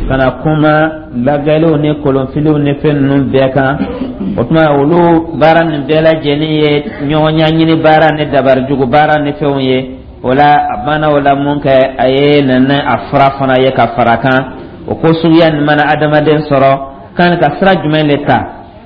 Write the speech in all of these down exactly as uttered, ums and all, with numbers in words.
Ka na kuma lagɛliw ni kolonfiliw ni fɛn ninnu bɛɛ kan. O tuma, olu baara nin bɛɛ lajɛlen ye ɲɔgɔn ɲɛɲini baara ni dabarijugu baara ni fɛnw ye. O la, a banna o la mun kɛ, a ye nana a fura fana ye ka fara kan. O ko suguya nin mana adamaden sɔrɔ, kan ka sira jumɛn de ta?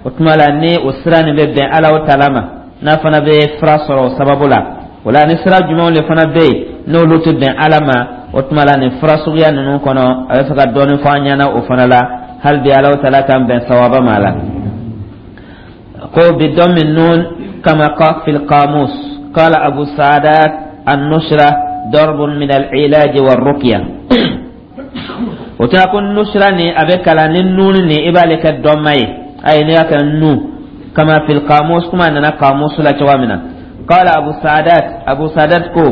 O tuma la, ni o sira nin bɛ bɛn Ala ta ma, n'a fana bɛ fura sɔrɔ o sababu la. O la, ni sira jumɛnw de fana bɛ yen, n'olu tɛ bɛn Ala ma? O tuma la, nin fura suguya ninnu kɔnɔ, a bɛ fɛ ka dɔɔnin fɔ an ɲɛna o fana la. Hali bi, Ala ta k'an bɛn sawaba ma la. Ko بضم النون كما في القاموس. قال أبو سعدات: النشرة ضرب من العلاج والرقية. O tɛ ko nusra ni a bɛ kalan ni nun ni i b'ale kɛ dɔnma ye. Ayi, n'i y'a kɛ nu كما في القاموس, kuma nana قاموس la cogoya min na. قال أبو سعدات, أبو سعدات ko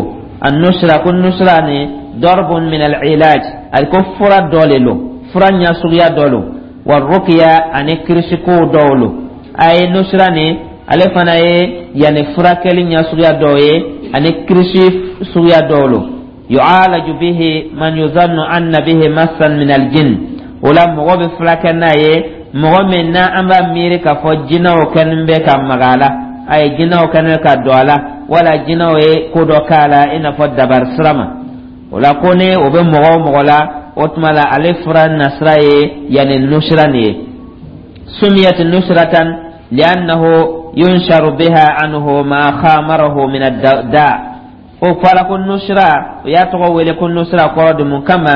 النشرة, ko nusra ni ضرب من العلاج, ali ko fura dɔ le lo, fura ɲɛ suguya dɔ lo, والرقية, ani kirisiko dɔw lo. A ye nusra ni, ale fana ye yanni furakɛli ɲɛ suguya dɔw ye ani kirisi suguya dɔw lo. يعالج به من يظن أن به مسا من الجن. O la, mɔgɔ bɛ furakɛ n'a ye, mɔgɔ min na an b'a miiri k'a fɔ jinɛw kɛlen bɛ ka maga a la, a ye jinɛw kɛlen bɛ ka don a la, wala jinɛw ye ko dɔ k'a la, i n'a fɔ dabari sira ma. O la, ko ni o bɛ mɔgɔ o mɔgɔ la, o tuma la, ale fura nasira ye yanni nusira nin ye. سميت نشرة لأنه ينشر بها عنه ما خامره من الداء. O fɔra ko nusra, o y'a tɔgɔ wele ko nusra, kɔrɔ de mun kama,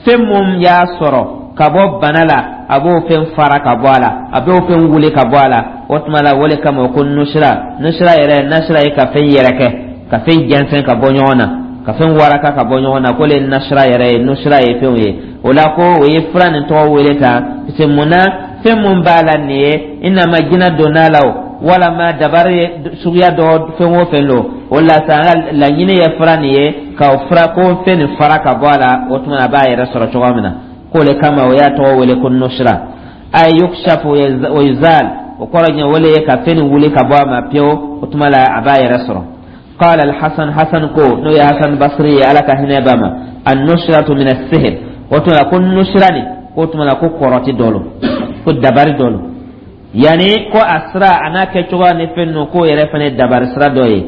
fɛn mun y'a sɔrɔ ka bɔ bana la, a b'o fɛn fara ka bɔ a la, a b'o fɛn wuli ka bɔ a la. O tuma la, o de kama ko nusra. Nusra yɛrɛ, nasira ye ka fɛn yɛrɛkɛ, ka fɛn jɛnsɛn ka bɔ ɲɔgɔn na, ka fɛn waraka ka bɔ ɲɔgɔn na, ko le nasira yɛrɛ ye, nusra ye fɛnw ye. O la, ko o ye fura nin tɔgɔ wele tan, parce que mun na, fɛn mun b'a la nin ye, i n'a ma jinɛ donna la o, walama dabari ye suguya dɔ, fɛn o fɛn lo. O la sa, an ka laɲini ye fura nin ye ka fura ko fɛn nin fara ka bɔ a la. O tuma, a b'a yɛrɛ sɔrɔ cogoya min na, k'o le kama o y'a tɔgɔ wele ko nusra. Ay يكشف ويزال, o kɔrɔ ɲɛ, o le ye ka fɛn nin wuli ka bɔ a ma pewu. O tuma la, a b'a yɛrɛ sɔrɔ. قال الحسن, حسن ko, n'o ye Hasan Basri ye, Ala ka hinɛ b'a ma, النشرة من السحر. O tuma la, ko nusra nin, k'o tuma la, ko kɔrɔti dɔ lo, ko dabari dɔ lo, yanni ko a sira a n'a kɛcogoya ni fɛn ninnu, k'o yɛrɛ fana ye dabari sira dɔ ye.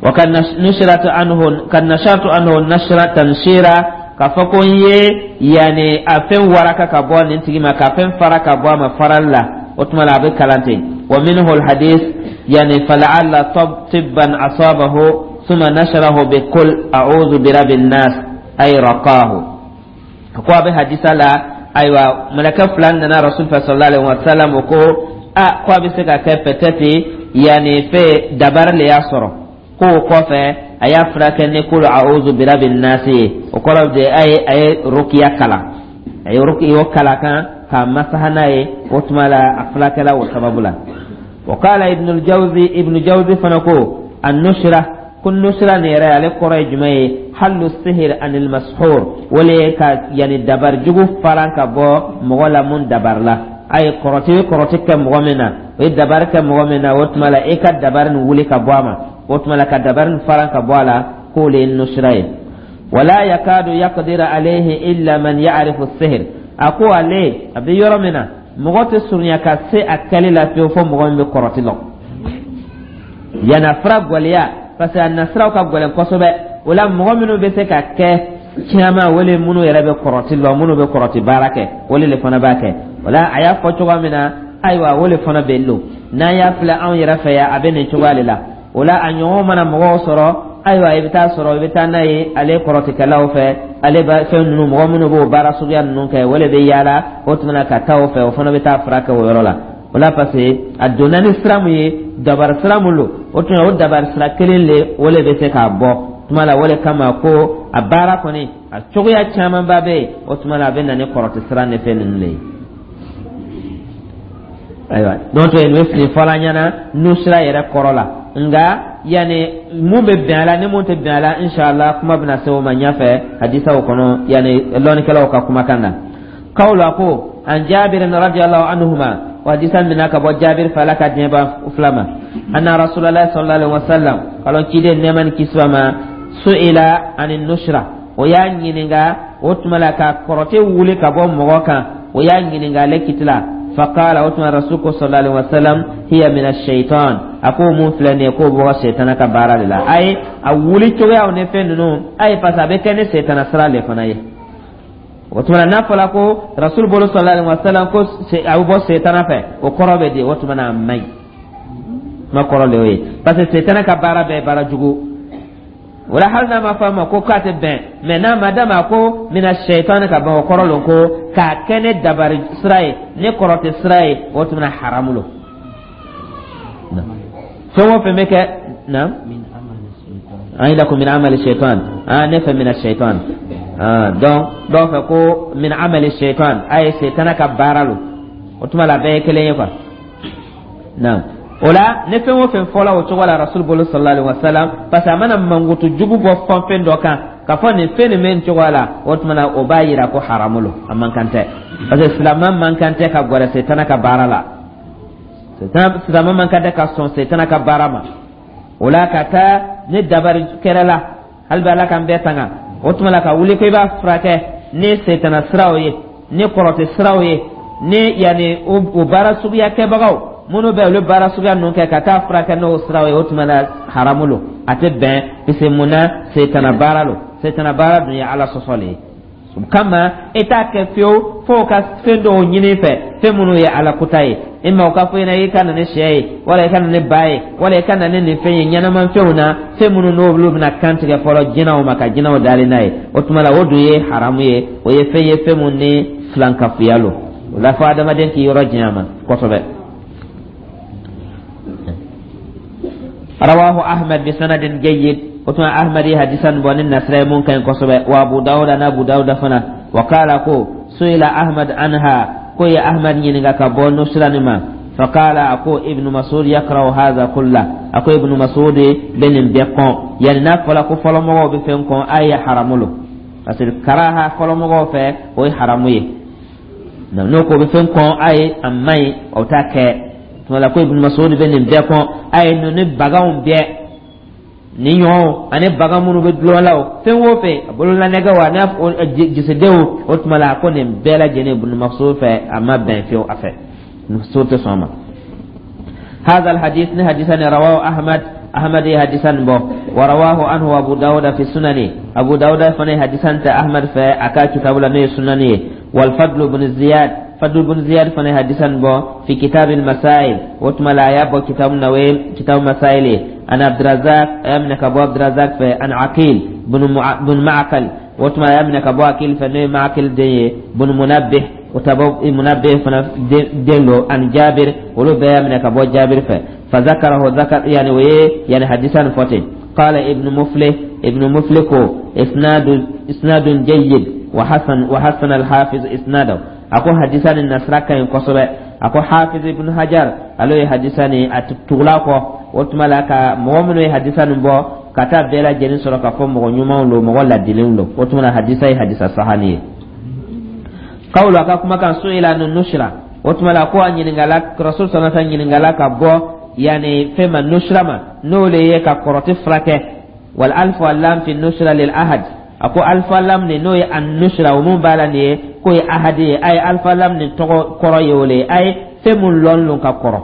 وقد نشرت عنه قد نشرت عنه نشرة تنشيرا, k'a fɔ ko n ye yanni a fɛn waraka ka bɔ nin tigi ma, ka fɛn fara ka bɔ a ma farali la. O tuma la, a bɛ kalan ten. ومنه الحديث, يعني فلعل طبا أصابه ثم نشره بقل أعوذ برب الناس, أي رقاه. Ko a bɛ hadisa la, ayiwa, mɛlɛkɛ fila nana Rasul fɛ صلى الله عليه وسلم. O ko a ko a bɛ se ka kɛ peut-être yanni fɛ dabari le y'a sɔrɔ, k'o kɔfɛ a y'a furakɛ ni قل أعوذ برب الناس ye. O kɔrɔ de, a ye a ye rukiya kalan, a ye rukiya kalan kan k'a masaha n'a ye. O tuma la, a furakɛla o sababu la. وقال ابن الجوزي, ابن جوزي fana ko النشرة, ko nusra nin yɛrɛ, ale kɔrɔ ye jumɛn ye? حل السحر عن المسحور, o le ye ka yanni dabari jugu faran ka bɔ mɔgɔ la mun dabari la. A ye kɔrɔti ye, kɔrɔti kɛ mɔgɔ min na, o ye dabari kɛ mɔgɔ min na, o tuma la, e ka dabari nin wuli ka bɔ a ma. O tuma la, ka dabari nin faran ka bɔ a la, k'o le ye nusra ye. ولا يكاد يقدر عليه إلا من يعرف السحر. A ko ale a bɛ yɔrɔ min na, mɔgɔ tɛ surunya ka se a kɛli la fiyewu fo mɔgɔ min bɛ kɔrɔti lɔn. Yanni fura gwɛlɛya, parce que a nasiraw ka gɛlɛn kosɛbɛ. O la, mɔgɔ minnu bɛ se ka kɛ caman, o le minnu yɛrɛ bɛ kɔrɔti lɔn, minnu bɛ kɔrɔti baara kɛ, o le fana b'a kɛ. O la, a y'a fɔ cogoya min na, ayiwa, o le fana bɛ lo. N'an y'a filɛ anw yɛrɛ fɛ yan, a bɛ nin cogoya de la. O la, a ɲɔgɔn mana mɔgɔw sɔrɔ, ayiwa, i bɛ taa sɔrɔ i bɛ taa n'a ye ale kɔrɔtikɛlaw fɛ, ale bɛ fɛn ninnu, mɔgɔ minnu b'o baara suguya ninnu kɛ, o de bɛ yaala. O tuma na, ka taa o fɛ, o fana bɛ taa furakɛ o yɔrɔ la. O la, parce que a donna ni sira mun ye, dabari sira mun don, o tuma, o dabari sira kelen le, o le bɛ se k'a bɔ tuma la. O de kama ko a baara kɔni, a cogoya camanba bɛ yen. O tuma la, a bɛ na ni kɔrɔti sira ni fɛn ninnu de ye. Ayiwa, donc nin bɛ fili fɔla ɲɛna nusira yɛrɛ kɔrɔ la. Nka yanni mun bɛ bɛn a la ni mun tɛ bɛn a la, inshallah, kuma bɛna se o ma ɲɛfɛ hadisaw kɔnɔ, yanni lɔnnikɛlaw ka kumakan na. Kawla ko عن جابر رضي الله عنهما, وحديثا من ka bɔ Jabir fɛ, Ala ka diɲɛ ban fila ma, أن رسول الله صلى الله عليه وسلم, kalon ciden nɛɛma ni kisi ma, سئل عن النشرة, o y'a ɲininka. O tuma la ka kɔrɔtɛ wuli ka bɔ mɔgɔ kan, o y'a ɲininka ale kiti la. Faqala, o tuma rasul ko sallallahu alaihi wasallam: hiya min ash-shaytan. A ko mun filɛ nin ye, k'o bɔra setana ka baara de la. A ye a wuli cogoyaw ni fɛn ninnu a ye, parce que a bɛ kɛ ni setana sira de fana ye. O tuma n'a fɔra ko rasul bolo sallallahu alaihi wasallam ko a bɛ bɔ setana fɛ, o kɔrɔ bɛ di? O tuma na a man ɲi, kuma kɔrɔ de y'o ye, parce que setana ka baara bɛɛ ye baara jugu. O la, hali n'a ma fɔ a ma ko k'a tɛ bɛn, mɛ n'a ma d'a ma ko mina sɛyitani ka ban, o kɔrɔ lon ko k'a kɛ ne dabari sira ye, ne kɔrɔtɛ sira ye, o tuma haramu lo. Fɛn o fɛn bɛ kɛ na, an yi la ko min amali shaitan, ah, ne fɛ mina shaitan. Ah, donc dɔw fɛ ko min amali shaitan, a ye setana ka baara lo. O tuma la, a bɛɛ ye kelen ye quoi. Naam, o la ne fɛn o fɛn fɔla o cogo la rasul bolo sallallahu alaihi wasallam, parce que a mana mankutu jugu bɔ fɛn fɛn dɔ kan k'a fɔ nin fɛn nin bɛ nin cogoya la, o tuma na o b'a yira ko haramu lo, a man kan tɛ, parce que silamɛ man kan tɛ ka gɛrɛ setana ka baara la, silamɛ man kan tɛ ka sɔn setana ka baara ma. O la, ka taa ni dabari kɛrɛ la, hali bi Ala k'an bɛɛ tanga, o tuma la ka wuli ko i b'a furakɛ ni setana siraw ye, ni kɔrɔtɛ siraw ye, ni yanni o baara suguya kɛbagaw minnu bɛ olu baara suguya ninnu kɛ, ka taa furakɛ n'o siraw ye, o tuma na haramu lo, a tɛ bɛn. Parce que mun na? Setana baara lo. Setana baara dun ye Ala sɔsɔ le ye. O kama e t'a kɛ fiyewu fo ka fɛn dɔw ɲini fɛ, fɛn minnu ye Ala kuta ye. E ma o ka fɔ ɲɛna i ka na ni sɛ ye, wala i ka na ni ba ye, wala i ka na ni nin fɛn ye, ɲɛnamafɛnw na, fɛn minnu n'olu bɛna kan tigɛ fɔlɔ jinɛw ma, ka jinɛw dali n'a ye. O tuma la, o dun ye haramu ye, o ye fɛn ye, fɛn mun ni filankafoya lo. O la, fo adamaden k'i yɔrɔ janya ma kosɛbɛ. Rawahu Ahmad bi sanadin jayyid. O tuma Ahmad ye hadisan bɔ ni nasira ye mun ka ɲi kosɛbɛ. Wa Abu Dawuda na Abu Dawuda fana. Wa kala ko suila Ahmad anha, ko ye Ahmad ɲininka ka bɔ nusra nin ma. Faqala, a ko Ibnu Masud yakrahu hadha kulla, a ko Ibnu Masud bɛ nin bɛɛ kɔn. Yani n'a fɔla ko fɔlɔmɔgɔw bɛ fɛn kɔn, a ye haramu lo, parce que karaha fɔlɔmɔgɔw fɛ, o ye haramu ye. N'o ko bɛ fɛn kɔn, a ye a man ɲi, o t'a kɛ. Tuma la, ko Ibnu Masud bɛ nin bɛɛ kɔn, a ye ninnu ni baganw bɛɛ ni ɲɔgɔn ani bagan minnu bɛ dulɔ la, o fɛn o fɛn, a bololanɛgɛ wa n'a jisidenw, o tuma la a ko nin bɛɛ lajɛlen, Ibnu Masud fɛ, a ma bɛn fiyewu a fɛ, Masud tɛ sɔn a ma. هذا الحديث حديثا رواه أحمد، أحمد حديثا بو، ورواه عنه أبو داود في سننه. أبو داود فني حديثا أحمد في أكا كتاب لنا سننه. والفضل بن زياد، فضل بن زياد فني حديثا بو في كتاب المسائل، وتما لا يابو كتاب نويل كتاب مسائل. أنا عبد الرزاق أمنك أبو عبد الرزاق في أنا عقيل بن, مع... بن معقل، وتما أمنك أبو عقيل فني معقل دي بن منبه وتبو منبه فنا دينو عن جابر، ولو بيامنك أبو جابر ف فذكره ذكر يعني ويه يعني حديثا فوتين. قال ابن مفلح، ابن مفلح اسناد اسناد جيد وحسن، وحسن الحافظ اسناده. Ako hadisa ni nasira ka ɲi kosɛbɛ. A ko Hafiz Ibn Hajar alo ye hadisa ni a tugula kɔ. O tuma la, ka mɔgɔ minnu ye hadisa nin bɔ ka taa bɛɛ lajɛlen sɔrɔ k'a fɔ mɔgɔ ɲumanw lo, mɔgɔ ladilenw lo. O tuma la, hadisa ye hadisa sahani ye. Kawulu, a ka kumakan, su'ila an nusra, o tuma la ko a ɲininkala, rasul sallallahu alaihi ɲininkala ka bɔ yani fɛn ma, nusra ma, n'o le ye ka kɔrɔti furakɛ. Wal alfu lam fi nusra lil ahad. A ko alfa lam nin, n'o ye an nusra, o mun b'a la nin ye, k'o ye ahadi ye. A ye alfa lam nin tɔgɔ kɔrɔ ye o le ye, a ye fɛn mun lɔn lon ka kɔrɔ,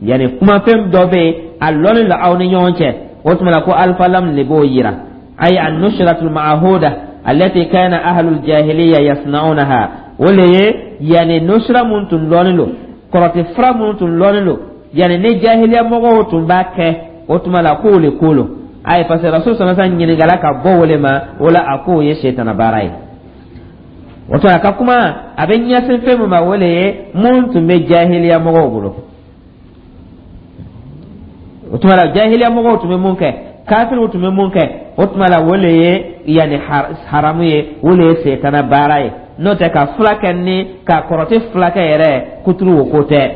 yani kumafɛn dɔ bɛ yen, a lɔnnen don aw ni ɲɔgɔn cɛ. O tuma la, ko alfa lam de b'o yira. Ay an nusratul ma'huda allati kana ahlul jahiliya yasna'unaha, o le ye yani nusra mun tun lɔnnen don, kɔrɔtɛ fura mun tun lɔnnen don, yani ni jahiliya mɔgɔw tun b'a kɛ. O tuma la, k'o le ko lo ayi, parce que rasul sallallahu alaihi wasallam ɲininkala ka bɔ o le ma. O la, a k'o ye setana baara ye. O tuma a ka kuma a bɛ ɲɛsin fɛn min ma, o le ye mun tun bɛ jahiliya mɔgɔw bolo. O tuma la, jahiliya mɔgɔw tun bɛ mun kɛ, kafiriw tun bɛ mun kɛ, o tuma la o le ye yanni haramu ye, o le ye setana baara ye. N'o tɛ, ka fila kɛ ni ka kɔrɔtɛ fila kɛ yɛrɛ kuturu, o ko tɛ.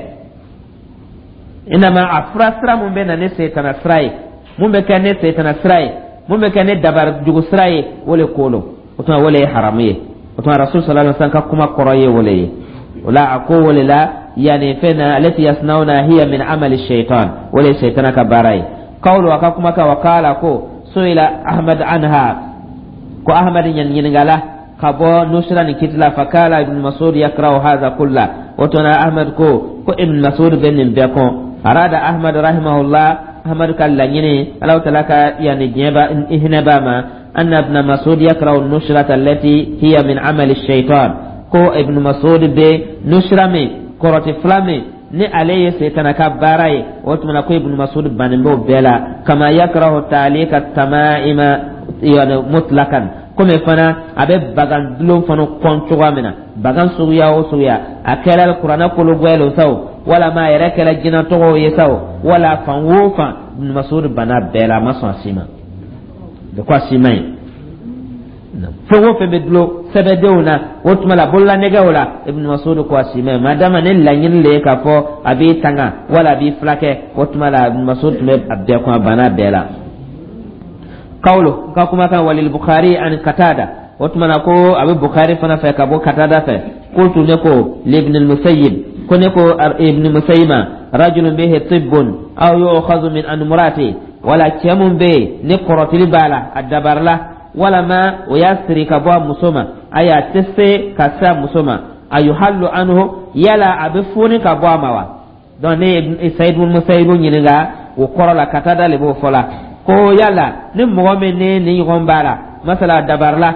Inama a fura sira mun bɛ na ni setana sira ye, mun bɛ kɛ ni setana sira ye, mun bɛ kɛ ni dabari jugu sira ye, o le ko lo. O tuma, o le ye haramu ye. O tuma rasul sallallahu alaihi wasallam ka kuma kɔrɔ ye o le ye. O la, a ko o le la yani fɛn na alati yasnauna hiya min amali shaitan, o le ye setana ka baara ye. Kawlu, a ka kuma kan, wa kala ko suila Ahmad anha, ko Ahmad ɲininkala. Ka bɔ nusra ni kiti la. Fakala Ibn Masud yakrahu hadha kulla. O tuma Ahmad ko ko Ibn Masud bɛ nin bɛɛ kɔn. Arada Ahmad rahimahullah, Ahmad ka laɲini, Alahu Taala ka yani diɲɛ ba hinɛ b'a ma, anna Ibn Masud yakrahu nusrata allati hiya min amali shaitan, ko Ibn Masud bɛ nusra min, kɔrɔti fila min ni ale ye setana ka baara ye, o tuma na ko Ibn Masud bannen b'o bɛɛ la. Kama yakrahu ta'lika tamaima yani mutlakan, komi fana a bɛ bagan dulon fana kɔn cogoya min na, bagan suguya o suguya, a kɛra Kuranɛ kolo bɔyɛlɛ sa o, walama a yɛrɛ kɛra jinɛ tɔgɔw ye sa o, wala fan o fan, Ibn Masud banna bɛɛ la, a ma sɔn a si ma de, ko a si ma ɲi. Fɛn o fɛn bɛ dulon sɛbɛdenw na, o tuma la bololanɛgɛw la, Ibn Masud ko a si ma ɲi, madama ne laɲini le ye k'a fɔ a b'i tanga wala a b'i filakɛ. O tuma la Ibn Masud tun bɛ a bɛɛ kɔn, a banna bɛɛ la. Kawlo ka kumakan. Walil Bukhari an Katada, o tuma na ko a bɛ Bukhari fana fɛ ka bɔ Katada fɛ. Qultu, ne ko, libn al-Musayyib, ko ne ko Ibn Musayyib ma, rajulun bihi tibbun aw yu'khadhu min anmurati, wala cɛ mun bɛ yen ni kɔrɔtili b'a la, a dabarila, walama o y'a siri ka bɔ a muso ma, ayi, a tɛ se ka se a muso ma, a yuhallu anhu, yala a bɛ foni ka bɔ a ma wa? Donc ne ye Sayid ibn Musayyib ɲininka o kɔrɔ la, Katada le b'o fɔ la, ko yala ni mɔgɔ min ni ni ɲɔgɔn b'a la, masala dabarila,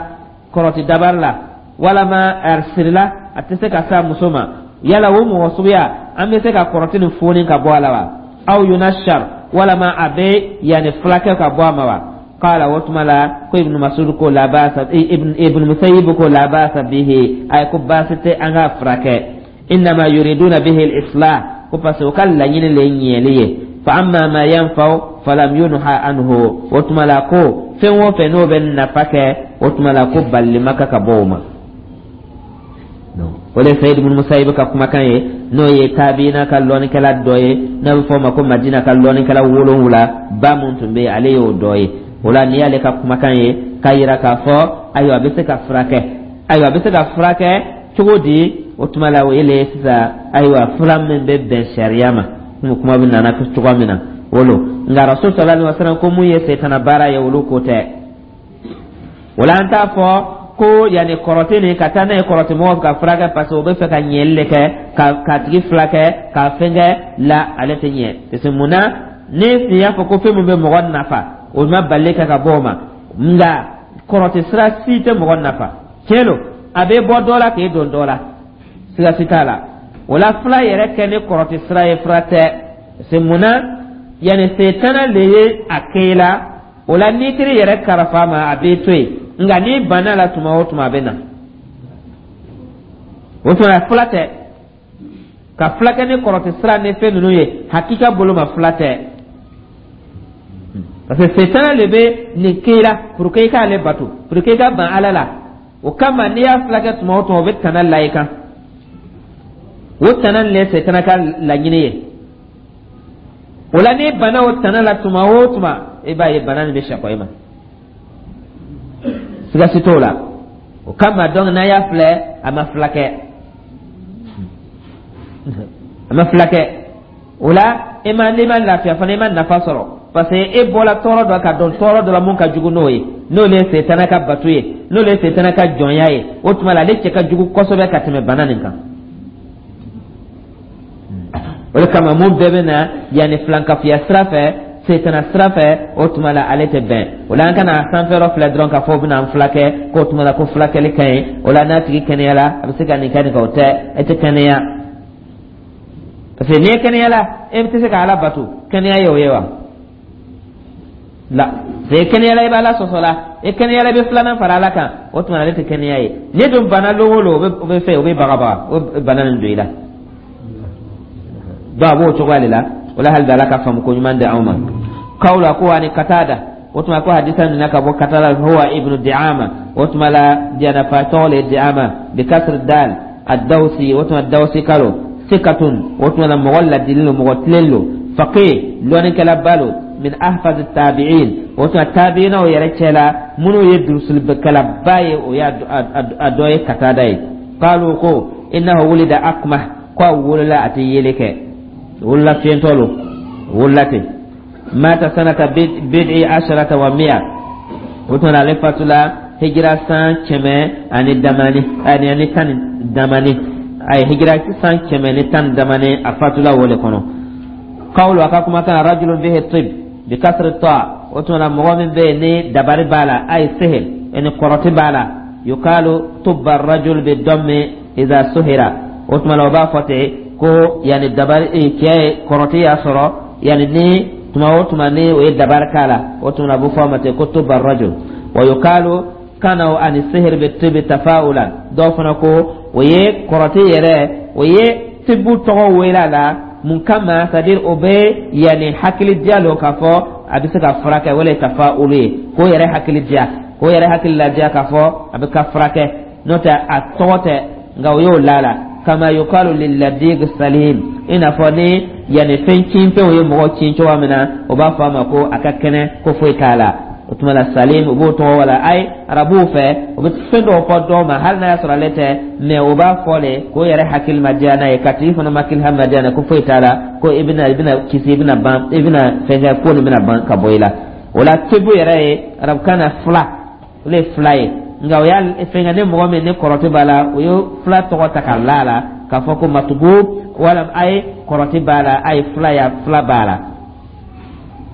kɔrɔti dabari la, walama a sirila, a tɛ se ka se a muso ma, yala o mɔgɔ suguya, an bɛ se ka kɔrɔti nin foni ka bɔ a la wa? Aw yunashar, walama a bɛ yanni fulakɛ ka bɔ a ma wa? Qala, o tuma la ko Ibn Masud ko la ba'sa, ibn ibn Musayyib ko la ba'sa bihi, ay ko baasi tɛ an ka furakɛ, innama yuriduna bihi al-islah, ko parce que o ka laɲini le ye ɲɛli ye. Fa amma ma yanfa'u falam yunha anhu, o tuma la ko fɛn o fɛn n'o bɛ nafa kɛ, o tuma la ko balili ma ka ka bɔ o ma. O le Sayid ibn Musayyib ka kumakan ye, n'o ye tabiina ka lɔnnikɛla dɔ ye, n'a bɛ fɔ o ma ko Madina ka lɔnnikɛla wolonwula ba mun tun bɛ yen, ale y'o dɔ ye. O la n'i y'ale ka kumakan ye k'a yira k'a fɔ ayiwa, a bɛ se ka furakɛ, ayiwa, a bɛ se ka furakɛ cogo di? O tuma la o ye le sisan, ayiwa, fura min bɛ bɛn sariya ma, komi kuma bɛ nana cogoya min na, o lo. Nka Rasul sallallahu alaihi wasallam ko mun ye setana baara ye, olu ko tɛ. O la an t'a fɔ ko yanni kɔrɔti nin ka taa n'a ye kɔrɔti mɔgɔw ka furakɛ, parce que o bɛ fɛ ka ɲɛli de kɛ ka k'a tigi furakɛ k'a fɛn kɛ la, ale tɛ ɲɛ, parce que mun na ni nin y'a fɔ ko fɛn min bɛ mɔgɔ nafa, o ma bali kɛ ka bɔ o ma. Nka kɔrɔti sira si tɛ mɔgɔ nafa, tiɲɛ don, a bɛ bɔ dɔ la k'e don dɔ la, siga si t'a la. O la fila yɛrɛ kɛ ni kɔrɔti sira ye, fura tɛ, parce que mun na yanni setana le ye a kɛ i la. O la n'i teri yɛrɛ karafa ma, a b'i to yen, nka n'i banna la tuma o tuma, a bɛ na. O tuma fila tɛ ka fila kɛ ni kɔrɔti sira ni fɛn ninnu ye, hakika bolo ma, fila tɛ, parce que setana le bɛ nin kɛ i la pour que i k'ale bato, pour que i ka ban Ala la. O kama n'i y'a fila kɛ tuma o tuma, o bɛ tana la i kan. O tana nin le ye setana ka laɲini ye. O la n'i banna o tana la tuma o tuma, i b'a ye bana nin bɛ sakɔ i ma, siga si t'o la. O kama donc n'a y'a filɛ, a ma fila kɛ, a ma fila kɛ. O la e ma, n'i ma lafiya fana, i ma nafa sɔrɔ, parce que e bɔra tɔɔrɔ dɔ ka dɔn tɔɔrɔ dɔ la mun ka jugu n'o ye, n'o le ye setana ka bato ye, n'o le ye setana ka jɔnya ye. O tuma la ale cɛ ka jugu kosɛbɛ ka tɛmɛ bana nin kan. O de kama mun bɛɛ bɛ na yanni filankafoya sira fɛ, setana sira fɛ, o tuma la ale tɛ bɛn. O la an kana sanfɛyɔrɔ filɛ dɔrɔn k'a fɔ o bɛna an filakɛ, k'o tuma la ko fulakɛli ka ɲi. O la n'a tigi kɛnɛyala, a bɛ se ka nin kɛ nin kɛ, o tɛ, e tɛ kɛnɛya, parce que n'i ye kɛnɛya la, e tɛ se ka Ala bato. Kɛnɛya ye o ye wa? La, parce que kɛnɛya la, i bɛ Ala sɔsɔ la, e kɛnɛya la, i bɛ filanan fara Ala kan, o tuma ale tɛ kɛnɛya ye. Ne dun bana lon o lon, o bɛ o bɛ fɛ o bɛ bagabaga, o bɛ bana nin don i la. Donc a b'o cogoya de la. O la hali bi, Ala ka faamu ko ɲuman di anw ma. Kawla ko ani Katada, o tuma ko hadisa nana ka bɔ Katada, huwa Ibnu Diama, o tuma la janafa tɔgɔ le Diama, bi kasr dal, ad-Dawsi, o tuma Dawsi kalo, sikatun, o tuma la mɔgɔ ladili lo, mɔgɔ tilen lo, faqih, lɔnnikɛlaba lo, min ahfaz tabi'in, o tuma tabi'inaw yɛrɛ cɛ la minnu ye durusulikɛlaba ye, o y'a a dɔ ye Katada ye. Qalu, ko innahu wulida akmah, ko a wolola a tɛ yeli kɛ, wolola fiyɛntɔ lo, wolola ten. Mata sanata bid'i asharata wa mi'a, o tuma ale fatula. Hijira san kɛmɛ ani damani ani ani tan ni damani, ayi, hijira san kɛmɛ ni tan ni damani, a fatula o le kɔnɔ. Qawlu, a ka kumakan, rajulun bihi tib bi kasri ta, o tuma na mɔgɔ min bɛ yen ni dabari b'a la, ayi sihir, ni kɔrɔti b'a la. Yukalu tubba rajul bi dammi idha suhira, o tuma na o b'a fɔ ten ko yani dabari cɛ kɔrɔti y'a sɔrɔ, yani ni tuma o tuma ni o ye dabari k'a la, o tuma na a bɛ fɔ a ma ten ko tubba rajul. Wa yukalu kanaw ani sihir bi tibi tafa'ulan, dɔw fana ko o ye kɔrɔti yɛrɛ, o ye tibu tɔgɔ wele a la. Mun kama? C'est à dire o bɛ yanni hakili diya lo k'a fɔ a bɛ se ka furakɛ, wala tafa'ulu ye k'o yɛrɛ hakili diya, k'o yɛrɛ hakili ladiya k'a fɔ a bɛ ka furakɛ, n'o tɛ a tɔgɔ tɛ, nka o y'o la la. Kama yukalu lilladig salim, i n'a fɔ ni yanni fɛn cinfɛnw ye mɔgɔ cin cogoya min na, o b'a fɔ a ma ko a ka kɛnɛ, ko foyi t'a la. O tuma la salim, u b'o tɔgɔ wala ayi arabuw fɛ, o bɛ fɛn dɔw fɔ dɔw ma hali n'a y'a sɔrɔ ale tɛ, mɛ o b'a fɔ le k'o yɛrɛ hakili ma diya n'a ye, ka tigi fana hakili ma diya n'a ye ko foyi t'a la, ko i bɛna i bɛna kisi, i bɛna ban, i bɛna fɛn kɛ, ko nin bɛna ban ka bɔ i la. O la tebu yɛrɛ ye arabukan na fila, o de ye fila ye, nka o y'a fɛnkɛ ni mɔgɔ min ni kɔrɔti b'a la, o ye fila tɔgɔ ta ka la a la k'a fɔ ko matugu wala a ye kɔrɔti b'a la, a ye fila ya fila b'a la.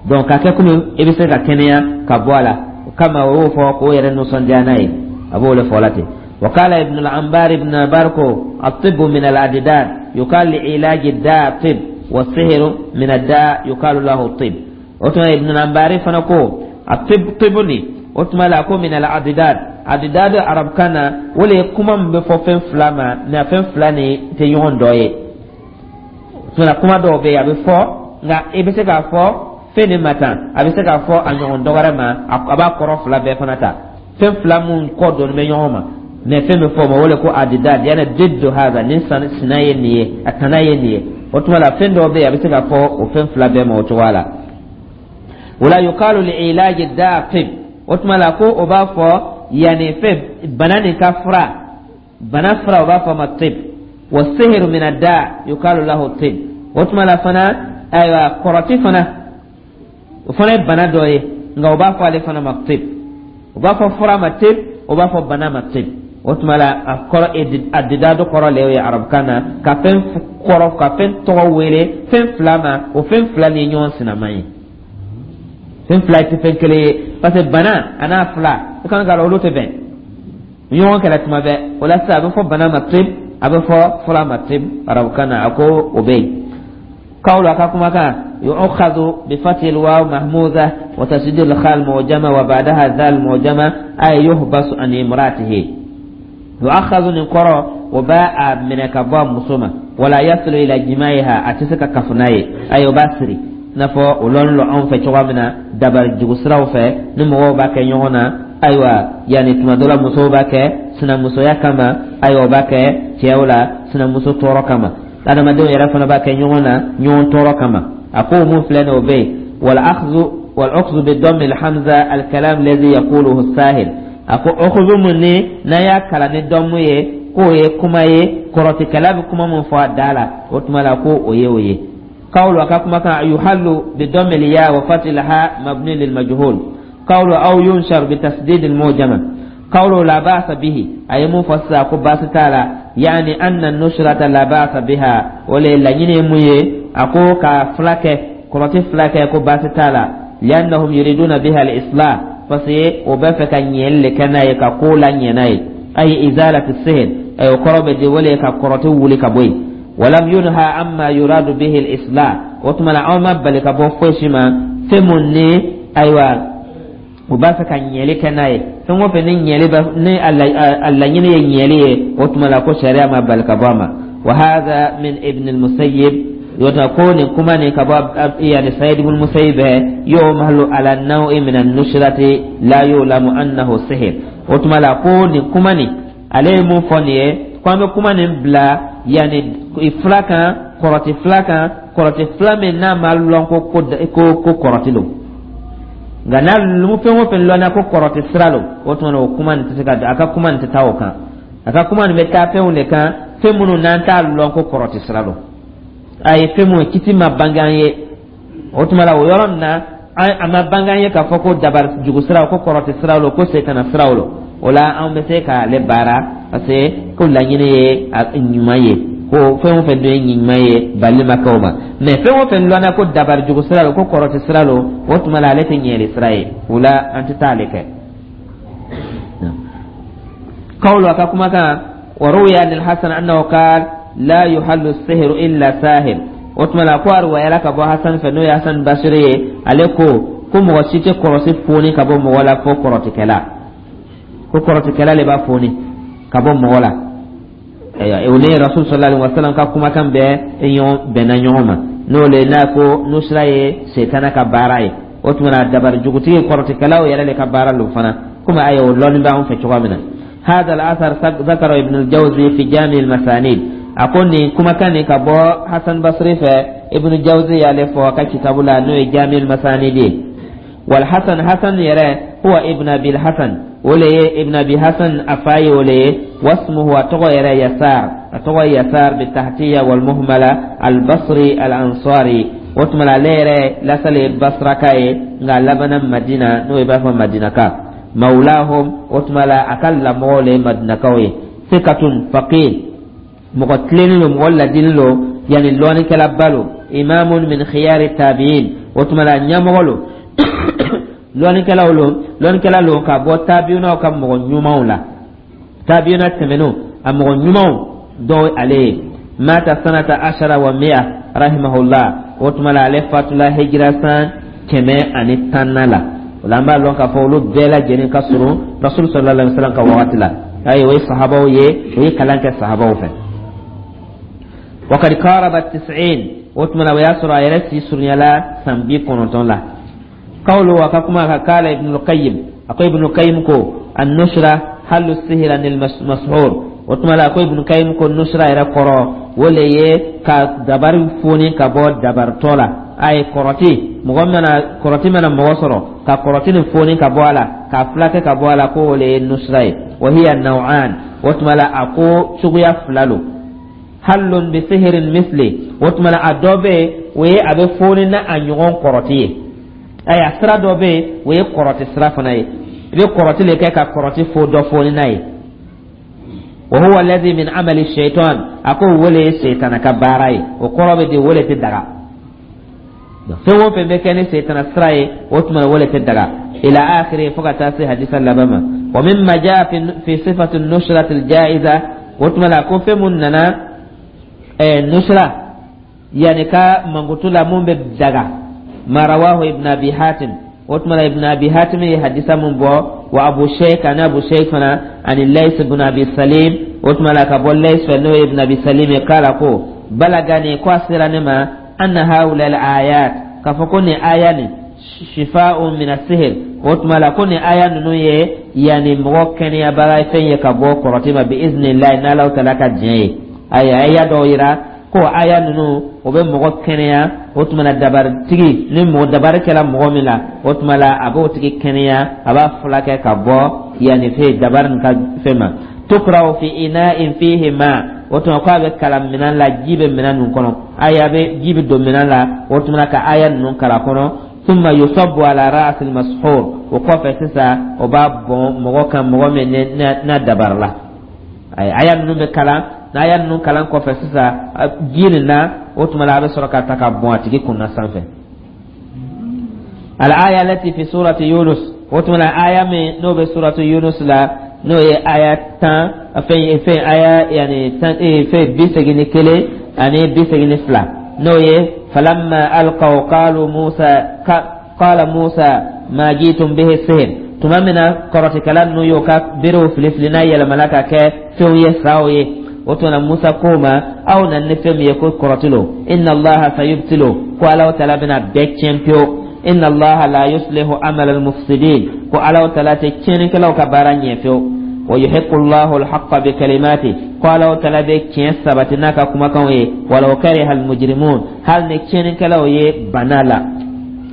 Donc ka kɛ komi i bɛ se ka kɛnɛya ka bɔ a la, o kama o y'o fɔ k'o yɛrɛ nisɔndiya n'a ye, a b'o de fɔ la ten. وقال ابن العنبار، ابن العنبار ko الطب من الأضداد، يقال لعلاج الداء طب، والسحر من الداء يقال له طب. O tuma ibn al-Anbari fana ko الطب طب ni o tuma la ko min al-adidad. Adidad arabukan na, o le ye kuma min bɛ fɔ fɛn fila ma, nka fɛn fila ni tɛ ɲɔgɔn dɔ ye. O tuma kuma dɔw bɛ yen, a bɛ fɔ, nka i bɛ se k'a fɔ fɛn nin ma tan, a bɛ se k'a fɔ a ɲɔgɔn dɔ wɛrɛ ma, a b'a kɔrɔ fila bɛɛ fana ta. Fɛn fila mun kɔ dɔɔnin bɛ ɲɔgɔn ma, mɛ fɛn bɛ fɔ o ma o le ko adidad, yani diddu hada, nin sina ye nin ye, a tana ye nin ye. O tuma la fɛn dɔw bɛ yen, a bɛ se k'a fɔ o fɛn fila bɛɛ ma o cogoya la. Wala yuqalu li ilaji da tib, o tuma la ko o b'a fɔ yanni fɛn bana nin ka fura, bana fura, o b'a fɔ ma tib. Wa sihiru min ad-da yuqalu lahu tib, o tuma la fana, ayiwa, kɔrɔti fana, o fana ye bana dɔ ye, nka o b'a fɔ ale fana ma tib. O b'a fɔ fura ma tib, o b'a fɔ bana ma tib. O tuma la a kɔrɔ adidado kɔrɔ le ye arabukan na ka fɛn kɔrɔ, ka fɛn tɔgɔ wele fɛn fila ma, o fɛn fila ni ɲɔgɔn sinama ye, fɛn fila tɛ fɛn kelen ye, parce que bana a n'a fila, i kan ka olu tɛ bɛn ɲɔgɔn kɛlɛ tuma bɛɛ. O la sisan a bɛ fɔ bana ma tib, a bɛ fɔ fura ma tib arabukan na, a ko o bɛ yen. قول أكاكم كان يؤخذ بفتح الواو مهموزة وتشديد الخاء المعجمة وبعدها ذال المعجمة، أي يحبس عن امراته. يؤخذ نقرأ وباء من كبا مسومة ولا يصل إلى جماعها، أتسك كفناي أي باسري n'a fɔ o lɔn lɔ anw fɛ cogoya min na, dabali jugu siraw fɛ ni mɔgɔw b'a kɛ ɲɔgɔn na. Ayiwa, yanni tuma dɔ la musow b'a kɛ sinamusoya kama, ayiwa, o b'a kɛ cɛw la sinamuso tɔɔrɔ kama, adamadenw yɛrɛ fana b'a kɛ ɲɔgɔn na ɲɔgɔn tɔɔrɔ kama. A ko mun filɛ nin, o bɛ yen. Wal akhdhu wal akhdhu bi dammi al hamza al kalam alladhi yaquluhu as-sahil, a ko ukhudhu mun ni n'an y'a kalan ni dɔnmu ye, k'o ye kuma ye kɔrɔtikɛla bɛ kuma mun fɔ a da la, o tuma la ko o ye o ye. قول وكما كان يحل بضم الياء وفتح الهاء مبني للمجهول. قول أو ينشر بتسديد المعجمة. قول لا بأس به، أي مفسر باس تعالى، يعني أن النشرة لا بأس بها، ولا لا ينمي أكو كفلك كرة فلك كو باس تعالى، لأنهم يريدون بها الإصلاح، فسي وبفك نيل كنا يكقولا يناي، أي إزالة السهل، أي قرب دي ولي كقرة ولي كبوي. ولم ينهى عما يراد به الإصلاح، وتما عما بل كبو فشما فمني، أيوة، u b'a fɛ ka ɲɛli kɛ n'a ye, fɛn o fɛn ni ɲɛli bɛ ni a laɲini ye ɲɛli ye, o tuma la ko sariya ma bali ka bɔ a ma. Wa hadha min ibn al-Musayyib, yota ko nin kuma nin ka bɔ yani Sayyid ibn al-Musayyib, yuhmalu ala naw'i min an-nushrati la yulamu annahu sihr. O tuma la ko nin kuma nin, ale ye mun fɔ nin ye, ko an bɛ kuma nin bila yani fila kan, kɔrɔti fila kan, kɔrɔti fila min n'a ma lɔn ko ko ko kɔrɔti don, nka n'a fɛn o fɛn lɔnna ko kɔrɔti sira don, o tuma na o kuma nin tɛ se ka, a ka kuma nin tɛ taa o kan. A ka kuma nin bɛ taa fɛnw de kan, fɛn minnu n'an t'a lɔn ko kɔrɔti sira don, a ye fɛn mun kiti ma bange an ye. O tuma la o yɔrɔ nin na, a ma bange an ye k'a fɔ ko dabari jugu sira, ko kɔrɔti sira don, ko setana siraw don. O la, an bɛ se k'ale baara, parce que ko laɲini ye ɲuman ye, ko fɛn o fɛn dun ye ɲuman ye, bali ma kɛ o ma. Mais fɛn o fɛn lɔnna ko dabari jugu sira lo, ko kɔrɔti sira lo, o tuma la ale tɛ ɲɛli sira ye. O la, an tɛ taa ale kɛ. قوله كما كان وروي عن الحسن أنه قال: لا يحل السحر إلا ساحر. O tuma la, ko a ruwayala ka bɔ Hasan fɛ, n'o ye Hasan Basiri ye, ale ko ko mɔgɔ si tɛ kɔrɔsi foni ka bɔ mɔgɔ la fo kɔrɔtikɛla, ko kɔrɔtikɛla le b'a foni ka bɔ mɔgɔ la. O ni Rasul sallallahu alaihi wasallam ka kumakan bɛɛ ɲɔgɔn bɛnna ɲɔgɔn ma, n'o le n'a ko nusra ye setana ka baara ye. O tuma na, dabari jugutigi kɔrɔtikɛlaw yɛrɛ le ka baara lo fana, komi ayi o lɔnni b'anw fɛ cogoya min na. هذا الأثر ذكره ابن الجوزي في جامع المسانيد. A ko nin kumakan nin ka bɔ Hasan Basri fɛ, Ibn Jawzi y'ale fɔ a ka kitabu la, n'o ye Jami al-Masanid ye. Wal Hasan, Hasan yɛrɛ, huwa Ibn Abi Hasan, o le ye Ibn Abi Hasan, a fa ye o le ye. Wasmuhu, a tɔgɔ yɛrɛ Yasar, a tɔgɔ Yasar bitahtiya wal muhmala, al-Basri al-Ansari. O tuma la, ale yɛrɛ lasale ye Basraka ye, nka a labanna Madina, n'o ye b'a fɔ Madinaka. Mawlahum, o tuma la a ka lamɔgɔw le ye Madinakaw ye. Sikatun faqih, mɔgɔ tilennen lo, mɔgɔ ladili lo, yani lɔnnikɛlaba lo. Imamun min khiyari tabi'in, o tuma la ɲɛmɔgɔ lo, lɔnnikɛlaw lo, lɔnnikɛla lo ka bɔ tabi'unaw ka mɔgɔ ɲumanw la, tabi'una tɛmɛnenw a mɔgɔ ɲumanw dɔw ale ye. Mata sanata ashara wa mi'a rahimahullah. O tuma la, ale fatula hijira san kɛmɛ ani tan na la. O la, an b'a lɔn k'a fɔ olu bɛɛ lajɛlen ka surun Rasul sallallahu alaihi wasallam ka wagati la. Ayi, o ye sahabaw ye, o ye kalan kɛ sahabaw fɛ. وقد قارب التسعين، o tuma na o y'a sɔrɔ a yɛrɛ si surunyala san bi kɔnɔntɔn la. قوله وكما قال ابن القيم، أكو ابن القيم كو النشرة حل السحر عن المسحور. O tuma la, ko Ibn Qayyim ko nusra yɛrɛ kɔrɔ, o le ye ka dabari foni ka bɔ dabaritɔ la. A ye kɔrɔti, mɔgɔ mana kɔrɔti mana mɔgɔ sɔrɔ, ka kɔrɔti nin foni ka bɔ a la, ka fulakɛ ka bɔ a la, ko o le ye nusra ye. Wa hiya naw'an, o tuma la a ko suguya fila lo. Hallun bi sihirin misli, o tuma la a dɔ bɛ yen, o ye a bɛ foni na a ɲɔgɔn kɔrɔti ye. Ayiwa, sira dɔ bɛ yen, o ye kɔrɔti sira fana ye, i bɛ kɔrɔti le kɛ ka kɔrɔti fo dɔ foni n'a ye. Wa huwa alladhi min amali shaitan, a ko o le ye seitana ka baara ye. O kɔrɔ bɛ di, o le tɛ daga. Fɛn o fɛn bɛ kɛ ni seitana sira ye, o tuma na o le tɛ daga. Ila akhiri, fo ka taa se hadisa laban ma. Wa mimma jaa fi fi sifati nusrati aljaiza, o tuma na ko fɛn mun nana ɛɛ nusra yani ka mankutu la mun bɛ daga, ma rawahu Ibn Abi Hatim, o tuma na Ibn Abi Hatim ye hadisa mun bɔ, wa Abu Sheikh, ani Abu Sheikh fana, ani Lays ibn Abi Salim, o tuma la ka bɔ Lays fɛ, n'o ye Ibn Abi Salim ye, k'ala ko balagani, ko a sera ne ma, anna haula al ayat, k'a fɔ ko nin aya nin shifa'un min as-sihr, o tuma la ko nin aya ninnu ye yani mɔgɔ kɛnɛyabaga fɛn ye ka bɔ kɔrɔti ma, bi iznillahi, n'Alaw taala ka diɲɛ ye. Ayiwa, aya dɔw yira ko aya ninnu o bɛ mɔgɔ kɛnɛya. O tuma na, dabaritigi ni mɔgɔ dabari kɛra mɔgɔ min la, o tuma la a b'o tigi kɛnɛya, a b'a furakɛ ka bɔ yanni fɛn dabari nin ka fɛn ma. Tukraw fi ina'in fihi ma, o tuma ko a bɛ kalan minɛn la, ji bɛ minɛn ninnu kɔnɔ. Aya bɛ, ji bɛ don minɛn la, o tuma ka aya ninnu kalan kɔnɔ. Thumma yusabbu ala ra'si al-mashhur, o kɔfɛ sisan o b'a bɔn mɔgɔ kan, mɔgɔ min n'a dabari la. Aya ninnu bɛ kalan, n'a ninnu kalan kɔfɛ sisan ji nin na, o tuma la a bɛ sɔrɔ ka ta ka bɔn a tigi kunna sanfɛ. Al-aya allati fi surati Yunus, o tuma la aya min n'o bɛ surati Yunus la, n'o ye aya tan fɛn fɛn aya yani tan fɛn bi segin ni kelen ani bi segin ni fila, n'o ye falamma alqaw qalu Musa qala Musa ma jitum bihi sihr. Tuma min na kɔrɔtikɛla ninnu y'o ka berew fili fili, n'a yɛlɛmana ka kɛ fɛnw ye, saw ye, o tuma na Musa ko ma: aw na ni fɛn min ye ko kɔrɔti lo, inna Allaha sayubtilu, ko Alaw taala bɛna bɛɛ tiɲɛ pewu. Inna Allaha la yuslihu amala almufsidin, ko Alaw taala tɛ tiɲɛnikɛlaw ka baara ɲɛ fewu. Wa yuhiqqu Allahu alhaqqa bi kalimati, ko Alaw taala bɛ tiɲɛ sabati n'a ka kumakanw ye, walaw kariha almujrimun, hali ni tiɲɛnikɛlaw ye bana la,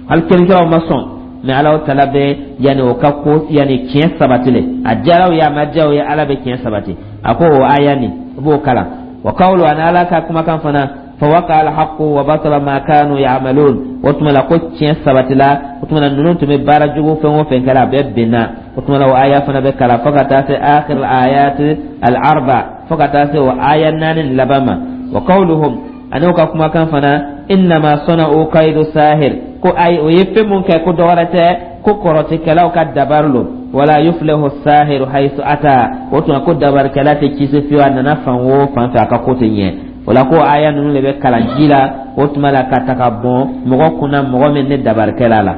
hali tiɲɛnikɛlaw ma sɔn, mais Alaw taala bɛ yanni o ka ko yanni tiɲɛ sabati le, a diyara u ye, a ma diya u ye, Ala bɛ tiɲɛ sabati. A ko o aya nin, i b'o kalan. Wa qawlu, ani Ala ka kumakan fana, fawaqa alhaqu wa batala ma kanu ya'malun, o tuma la ko tiɲɛ sabatila. O tuma la ninnu tun bɛ baara jugu fɛn o fɛn kɛra, a bɛɛ benna. O tuma la, o aya fana bɛ kalan fo ka taa se akhir ayat al arba, fo ka taa se o aya naani laban ma. Wa qawluhum, ani u ka kumakan fana, innama sana'u kaidu sahir, ko ayi, o ye fɛn mun kɛ, ko dɔwɛrɛ tɛ, ko kɔrɔtikɛlaw ka dabari lo. Wala yuflihu sahiru haythu ata. O tuma ko dabarikɛla tɛ kisi fiyewu, a nana fan o fan fɛ, a ka ko tɛ ɲɛ. O la, ko aya ninnu de bɛ kalan ji la, o tuma la ka ta ka bɔn mɔgɔ kunna, mɔgɔ min ni dabarikɛla la.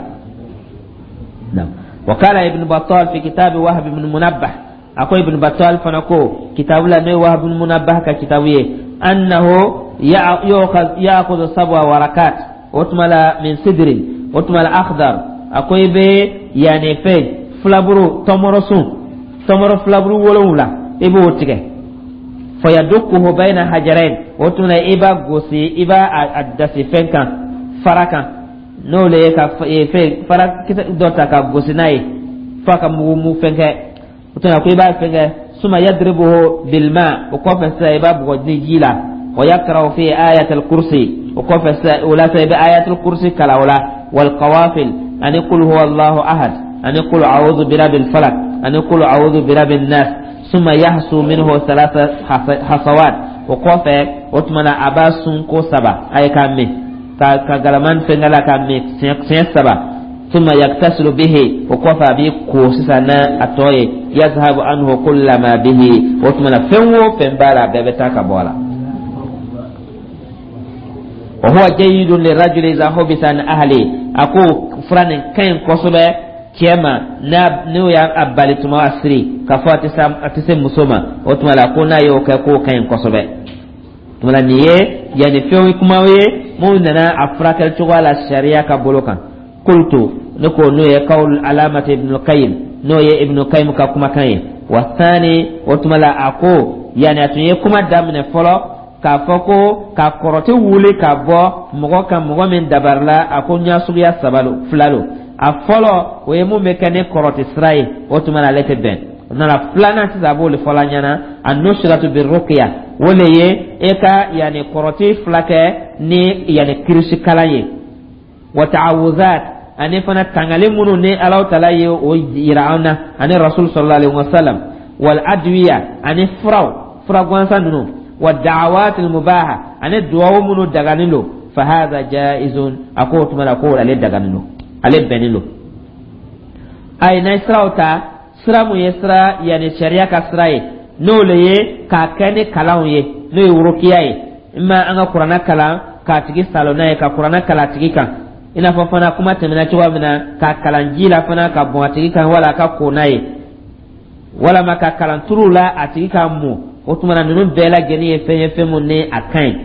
وقال ابن بطال في كتاب وهب بن منبه، أكو ابن بطال فنكو كتاب لا وهب بن منبه ككتابه، أنه يأخذ يأخذ سبع ورقات وتملا من سدر وتملا أخضر. أكو يبي يعني في filaburu tɔmɔrɔ sun, tɔmɔrɔ filaburu wolonwula, i b'o tigɛ. Fayadukuhu bayna hajarain. O tuma i b'a gosi, i b'a a dasi fɛn kan, fara kan, n'o le ye ka fɛn fara kisɛ dɔ ta ka gosi n'a ye f'a ka mugu mu fɛn kɛ. O tuma ko i b'a fɛn kɛ, suma yadribuhu bilma. O kɔfɛ sisan, i b'a bugɔ ni ji la. Wa yaqra'u fi ayatul kursi. O kɔfɛ sisan, o la sisan, i bɛ ayatul kursi kalan o la, wal qawafil, ani qul huwa Allahu ahad, ani qul a'udhu birabbil falaq, ani qul a'udhu birabbin nas. Summa yahsu minhu thalatha hasawat. O kɔfɛ, o tuma na, a b'a sun ko saba, a ye k'a min ka ka galaman fɛnkɛ la k'a min siɲɛ saba. Summa yaktasilu bihi. O kɔfɛ, a b'i ko sisan n'a a tɔ ye. Yazhabu anhu kulla ma bihi. O tuma na, fɛn o fɛn b'a la, a bɛɛ bɛ taa ka bɔ a la. Wa huwa jayyidun lirajuli idha hubisa an ahli. A ko fura nin ka ɲi kosɛbɛ cɛ ma, n'a n'o y'a bali tuma a siri k'a fɔ a tɛ se a tɛ se muso ma. O tuma la, ko n'a y'o kɛ, k'o ka ɲi kosɛbɛ. Tuma la, nin ye yanni fɛnw kumaw ye minnu nana a furakɛli cogoya la sariya ka bolo kan. Qultu, ne ko n'o ye qawl alamati Ibn Qayyim, n'o ye Ibn Qayyim ka kumakan ye. Wa thani, o tuma la, a ko yanni a tun ye kuma daminɛ fɔlɔ k'a fɔ ko ka kɔrɔti wuli ka bɔ mɔgɔ kan, mɔgɔ min dabarila, a ko ɲa suguya saba lo, fila lo. A fɔlɔ, o ye mun bɛ kɛ ni kɔrɔti sira ye, o tuma na ale tɛ bɛn. O nana filanan sisan, a b'o de fɔla ɲɛna, a nusratu birruqya, o le ye e ka yanni kɔrɔti fila kɛ ni yanni kirisi kalan ye, wa ta'awuzat, ani fana tangali minnu ni Alahu Taala ye o yira an na ani Rasul sallallahu alaihi wasallam, wal adwiya, ani furaw, fura gansan ninnu, wa da'awat al mubaha, ani duwawu minnu daganen don. Fa hadha jaizun. A ko o tuma la ko ale daganen don, ale bɛnnen don. Ayi, n'a ye siraw ta, sira mun ye sira yanni sariya ka sira ye, n'o le ye k'a kɛ ni kalanw ye, n'o ye wurukiya ye, i ma an ka Kuranɛ kalan k'a tigi salo n'a ye, ka Kuranɛ kalan a tigi kan, i n'a fɔ fana kuma tɛmɛna cogoya min na, k'a kalan ji la fana ka bɔn a tigi kan, wala a ka ko n'a ye, walama ka kalan turu la a tigi ka mun. O tuma na, ninnu bɛɛ lajɛlen ye fɛn ye, fɛn mun ni a ka ɲi.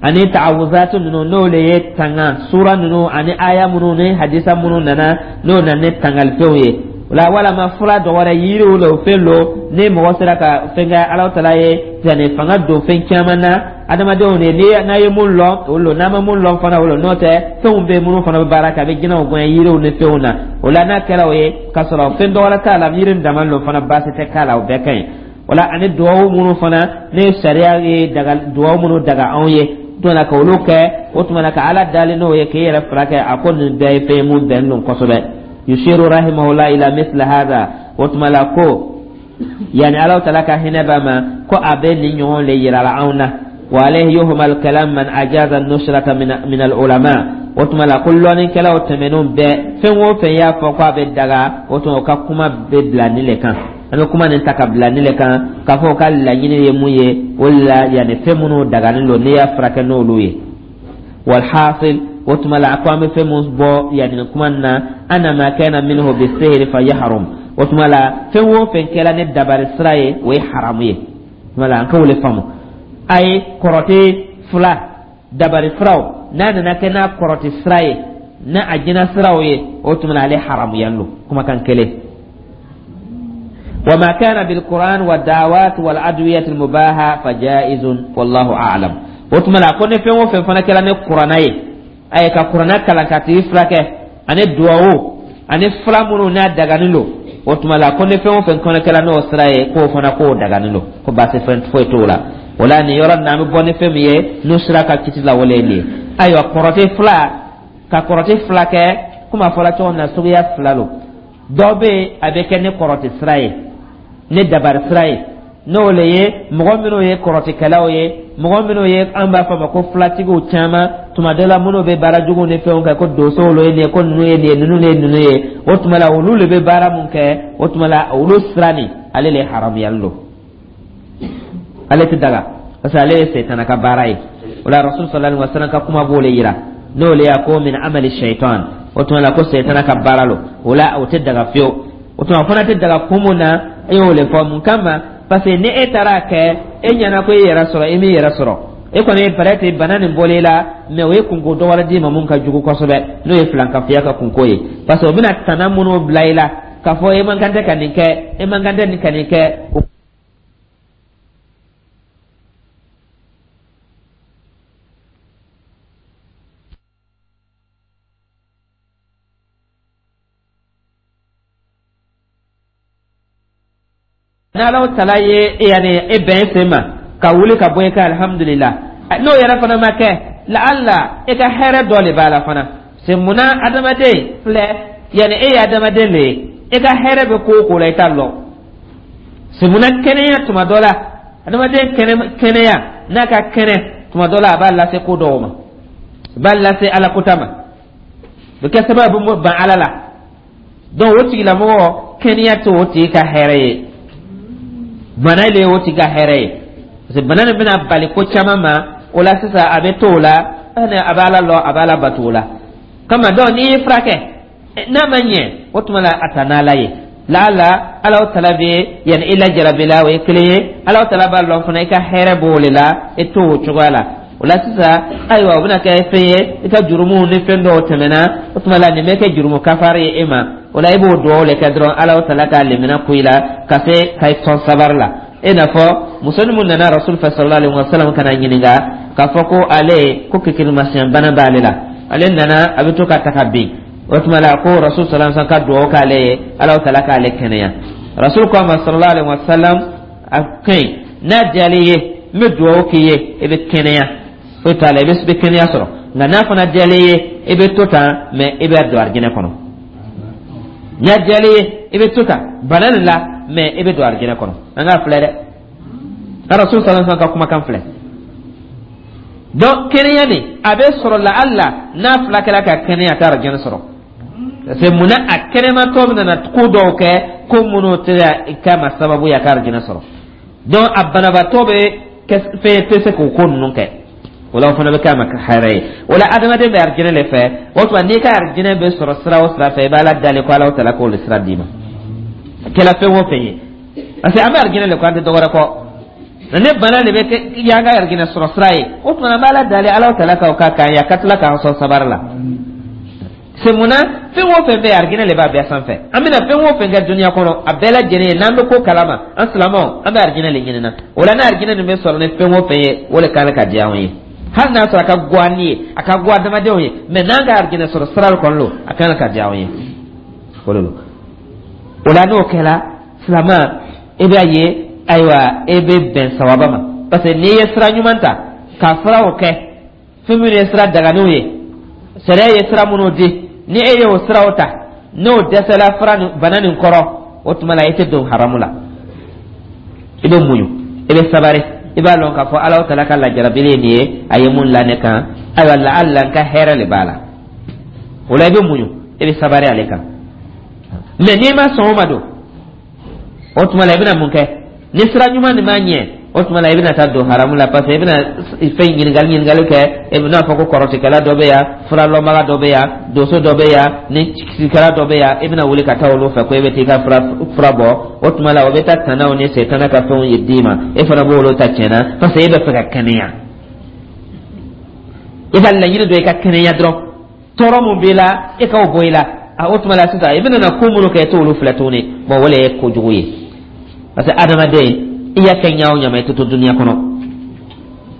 Ani ta'awuzatu ninnu, n'o le ye tanga sura ninnu ani aya minnu ni hadisa minnu nana, n'o nana ni tangalifɛnw ye o la, walama fura dɔ wɛrɛ, yiriw la, o fɛn lo ni mɔgɔ sera ka fɛn kɛ, Alahu Taala ye yanni fanga don fɛn caman na adamadenw de ni n'a ye mun lɔn, o lo, n'a ma mun lɔn fana, o lo. N'o tɛ, fɛnw bɛ minnu fana bɛ baara kɛ, a bɛ jinɛw gɛn yiriw ni fɛnw na. O la, n'a kɛra o ye k'a sɔrɔ fɛn dɔ wɛrɛ t'a la, yiri dama lo fana, baasi tɛ k'a la, o bɛɛ ka ɲi. O la, ani duwawu minnu fana ne sariya ye daga, duwawu minnu daga anw ye tuma na ka olu kɛ, o tuma na ka Ala dali n'o ye k'e yɛrɛ furakɛ, a ko nin bɛɛ ye fɛn ye mun bɛnnen don kosɛbɛ. Yushiru rahimahullah ila misli hadha. O tuma la, ko yani Ala Taala ka hinɛ b'a ma, ko a bɛ nin ɲɔgɔn le yira la anw na. Wa alayhi yuhmal kalam man ajaza nusrata min min al ulama. O tuma la, ko lɔnnikɛlaw tɛmɛnenw bɛɛ, fɛn o fɛn y'a fɔ ko a bɛ daga, o tuma o ka kuma bɛ bila nin le kan. An bɛ kuma nin ta ka bila nin le kan k'a fɔ o ka laɲini ye mun ye. O de la, yanni fɛn minnu daganen don, n'i y'a furakɛ n'olu ye. Walhasil, o tuma la, a ko an bɛ fɛn mun bɔ yanni nin kuma nin na, anna ma kana minhu bisihri fa yahrum. O tuma la, fɛn o fɛn kɛra ni dabari sira ye, o ye haramu ye. O tuma la, an ka o le faamu. A ye kɔrɔtɛ fila dabari furaw, n'a nana kɛ n'a kɔrɔtɛ sira ye, n'a a jinɛ siraw ye, o tuma na ale haramuya don, kumakan kelen. وما كان بالقرآن والدعوات والأدوية المباحة فجائز والله أعلم. O tuma la, ko ni fɛn o fɛn fana kɛra ni kuranna ye, a ye ka kuranna kalan ka tigi furakɛ, ani duwawu, ani fura minnu n'a daganen don, o tuma la, ko ni fɛn o fɛn fana kɛra n'o sira ye, k'o fana k'o daganen don, ko baasi fɛn foyi t'o la. O la, nin yɔrɔ nin na, an bɛ bɔ ni fɛn min ye n'o sira ka kiti la, wale ye nin ye. Ayiwa, kɔrɔtɛ fila, ka kɔrɔtɛ fila kɛ, komi a fɔra cogo min na, suguya fila don. Dɔ bɛ yen, a bɛ kɛ ni kɔrɔti sira ye, ni dabari sira ye, n'o le ye mɔgɔ minnu ye kɔrɔtikɛlaw ye, mɔgɔ minnu ye an b'a fɔ a ma ko filatigiw caman. Tuma dɔ la, minnu bɛ baara juguw ni fɛnw kɛ, ko donsow ye nin ye, ko ninnu ye nin ye, ninnu ye ninnu ye. O tuma la, olu de bɛ baara mun kɛ, o tuma la, olu sira nin, ale le haramuyali don, ale tɛ daga, parce que ale ye sɛtana ka baara ye. O la, Rasul sallallahu alaihi wa sallam ka kuma b'o le yira, n'o le y'a ko min amali shaitan. O tuma la, ko sɛtana ka baara lo. O la, o tɛ daga fiyewu. O tuma, o fana tɛ daga kun mun na, e y'o le fɔ. Mun kama? Parce que ni e taara kɛ, e ɲɛna ko e yɛrɛ sɔrɔ, e m'i yɛrɛ sɔrɔ. E kɔni ye peut-être bana nin bɔlen la, mais o ye kunko dɔ wɛrɛ d'i ma mun ka jugu kosɛbɛ, n'o ye filankafoya ka kunko ye, parce que o bɛna tana minnu bila i la k'a fɔ e man kan tɛ ka nin kɛ, e man kan tɛ nin ka nin kɛ. N'Ala tala ye yani e bɛn sen ma ka wuli ka bɔ i ka, alhamdulillah. N'o yɛrɛ fana ma kɛ, laala e ka hɛrɛ dɔ de b'a la fana. C'est munna adamaden filɛ, yani e ye adamaden de ye, e ka hɛrɛ bɛ ko o ko la, i t'a lɔn. C'est munna kɛnɛya, tuma dɔ la, adamaden kɛnɛya n'a ka kɛnɛ, tuma dɔ la, a b'a lase ko dɔw ma, a b'a lase ala kota ma, o bɛ kɛ sababu ban Ala la. Donc o tigilamɔgɔ, kɛnɛya tɛ o tigi ka hɛrɛ ye, bana le ye o tigi ka hɛrɛ ye, parce que bana nin bɛna bali ko caman ma. O la sisan, a bɛ to o la, a bɛ Ala lɔ, a bɛ Ala bato o la kama. Donc n'i y'i furakɛ, n'a ma ɲɛ, o tuma la, a ta n'Ala ye. Laala Ala tala bɛ yanni i lajarabi la, o ye kelen ye. Ala tala b'a lɔn fana, i ka hɛrɛ b'o de la, e to o cogoya la. O la sisan, ayiwa, o bɛna kɛ fɛn ye, i ka jurumuw ni fɛn dɔw tɛmɛna, o tuma la, nin bɛ kɛ jurumu kafari ye e ma. O la, i b'o dugawu de kɛ dɔrɔn, Ala tala k'a lemina ku i la ka se ka i sɔn sabari la. E n'a fɔ muso min nana Rasul fɛ sallallahu alaihi wa sallam ka na ɲininka k'a fɔ ko ale ko kekelimasiɲɛ bana b'ale la, ale nana, a bɛ to ka ta ka bin. O tuma la, ko Rasul sallallahu alaihi wa sallam ka dugawu k'ale ye, Ala tala k'ale kɛnɛya. Rasul ko a ma sallallahu alaihi wa sallam: a ka ɲi, n'a diyalen ye, n bɛ dugawu k'i ye, i bɛ kɛnɛya, foyi t'a la, i bɛ kɛnɛya sɔrɔ. Nka n'a fana diyalen ye, i bɛ to tan, mais i bɛ don arijinɛ kɔnɔ. N'a diyalen ye, i bɛ to tan bana nin la, mais i bɛ don arijinɛ kɔnɔ. An k'a filɛ dɛ, Rasul sallallahu alaihi wa sallam ka kumakan filɛ. Donc kɛnɛya nin, a bɛ sɔrɔ la Allah n'a fila kɛra ka kɛnɛya, t'a arijinɛ sɔrɔ, parce que munna? A kɛnɛmatɔ bɛ nana ko dɔw kɛ, ko minnu tɛ k'a ma sababu ye a ka arijinɛ sɔrɔ. Donc a banabaatɔ bɛ fɛn tɛ se k'o ko ninnu kɛ. O la, o fana bɛ k'a ma hɛrɛ ye. O la, adamaden bɛ arijinɛ de fɛ. O tuma, n'i ka arijinɛ bɛ sɔrɔ sira o sira fɛ, i b'a la dalen ko Ala tala k'o de sira d'i ma, a kɛla fɛn o fɛn ye, parce que an bɛ arijinɛ de kɔ, an tɛ dɔwɛrɛ kɔ. Ne bana de bɛ kɛ y'an ka arijinɛ sɔrɔ sira ye. O tuma, an b'a la dalen Ala tala k'o ka k'an ye, a ka tila k'an sɔn sabari la. C'est munna fɛn o fɛn bɛ yen, arijinɛ de b'a bɛɛ sanfɛ. An bɛna fɛn o fɛn kɛ dunuya kɔnɔ, a bɛɛ lajɛlen ye, n'an bɛ ko kalama, an silamɛw, an bɛ arijinɛ de ɲini na. O la, n'a arijinɛ nin bɛ sɔrɔ ni fɛn o fɛn ye, o de kan ka diya anw ye, hali n'a sɔrɔ a ka go an ye, a ka go adamadenw ye, mais n'an ka arijinɛ sɔrɔ sira kɔnɔ don, a kan ka diya anw ye, o de don. O la, n'o kɛra, silamɛ, e b'a ye, ayiwa, e bɛ bɛn sawaba ma, parce que n'i ye sira ɲuman ta ka furaw kɛ, fɛn minnu ye sira daganiw ye, sariya ye sira minnu di, ni e y'o siraw ta, n'o dɛsɛla fura nin bana nin kɔrɔ, o tuma la, e tɛ don haramu la. I bɛ muɲu, i bɛ sabari, i b'a lɔn k'a fɔ Ala tala ka lajarabili ye nin ye, a ye mun la ne kan, ayiwa, la ala n ka hɛrɛ de b'a la. O la, i bɛ muɲu, i bɛ sabari ale kan. Mais n'i ma sɔn o ma don, o tuma la, i bɛna mun kɛ? Ni sira ɲuman nin ma ɲɛ, o tuma la, i bɛna taa don haramu la, parce que i bɛna fɛn ɲininkali ɲininkali kɛ. E bɛna fɔ ko kɔrɔtikɛla dɔ bɛ yan, furalɔnbaga dɔ bɛ yan, donso dɔ bɛ yan, ni sikɛla dɔ bɛ yan, i bɛna wuli ka taa olu fɛ ko e bɛ t'i ka fura fura bɔ. O tuma la, o bɛ taa tanaw ni setana ka fɛnw ye d'i ma, e fana b'olu ta tiɲɛna, parce que e bɛ fɛ ka kɛnɛya. I ka laɲini dɔ, i ka kɛnɛya dɔrɔn, tɔɔrɔ mun b'i la, e k'o bɔ i la. A o tuma la sisan, i bɛna na ko minnu kɛ, e t'olu filɛ tuguni. Bon, o de ye kojugu ye, parce que adamaden, i y'a kɛ ɲa o ɲama, i tɛ to duniya kɔnɔ.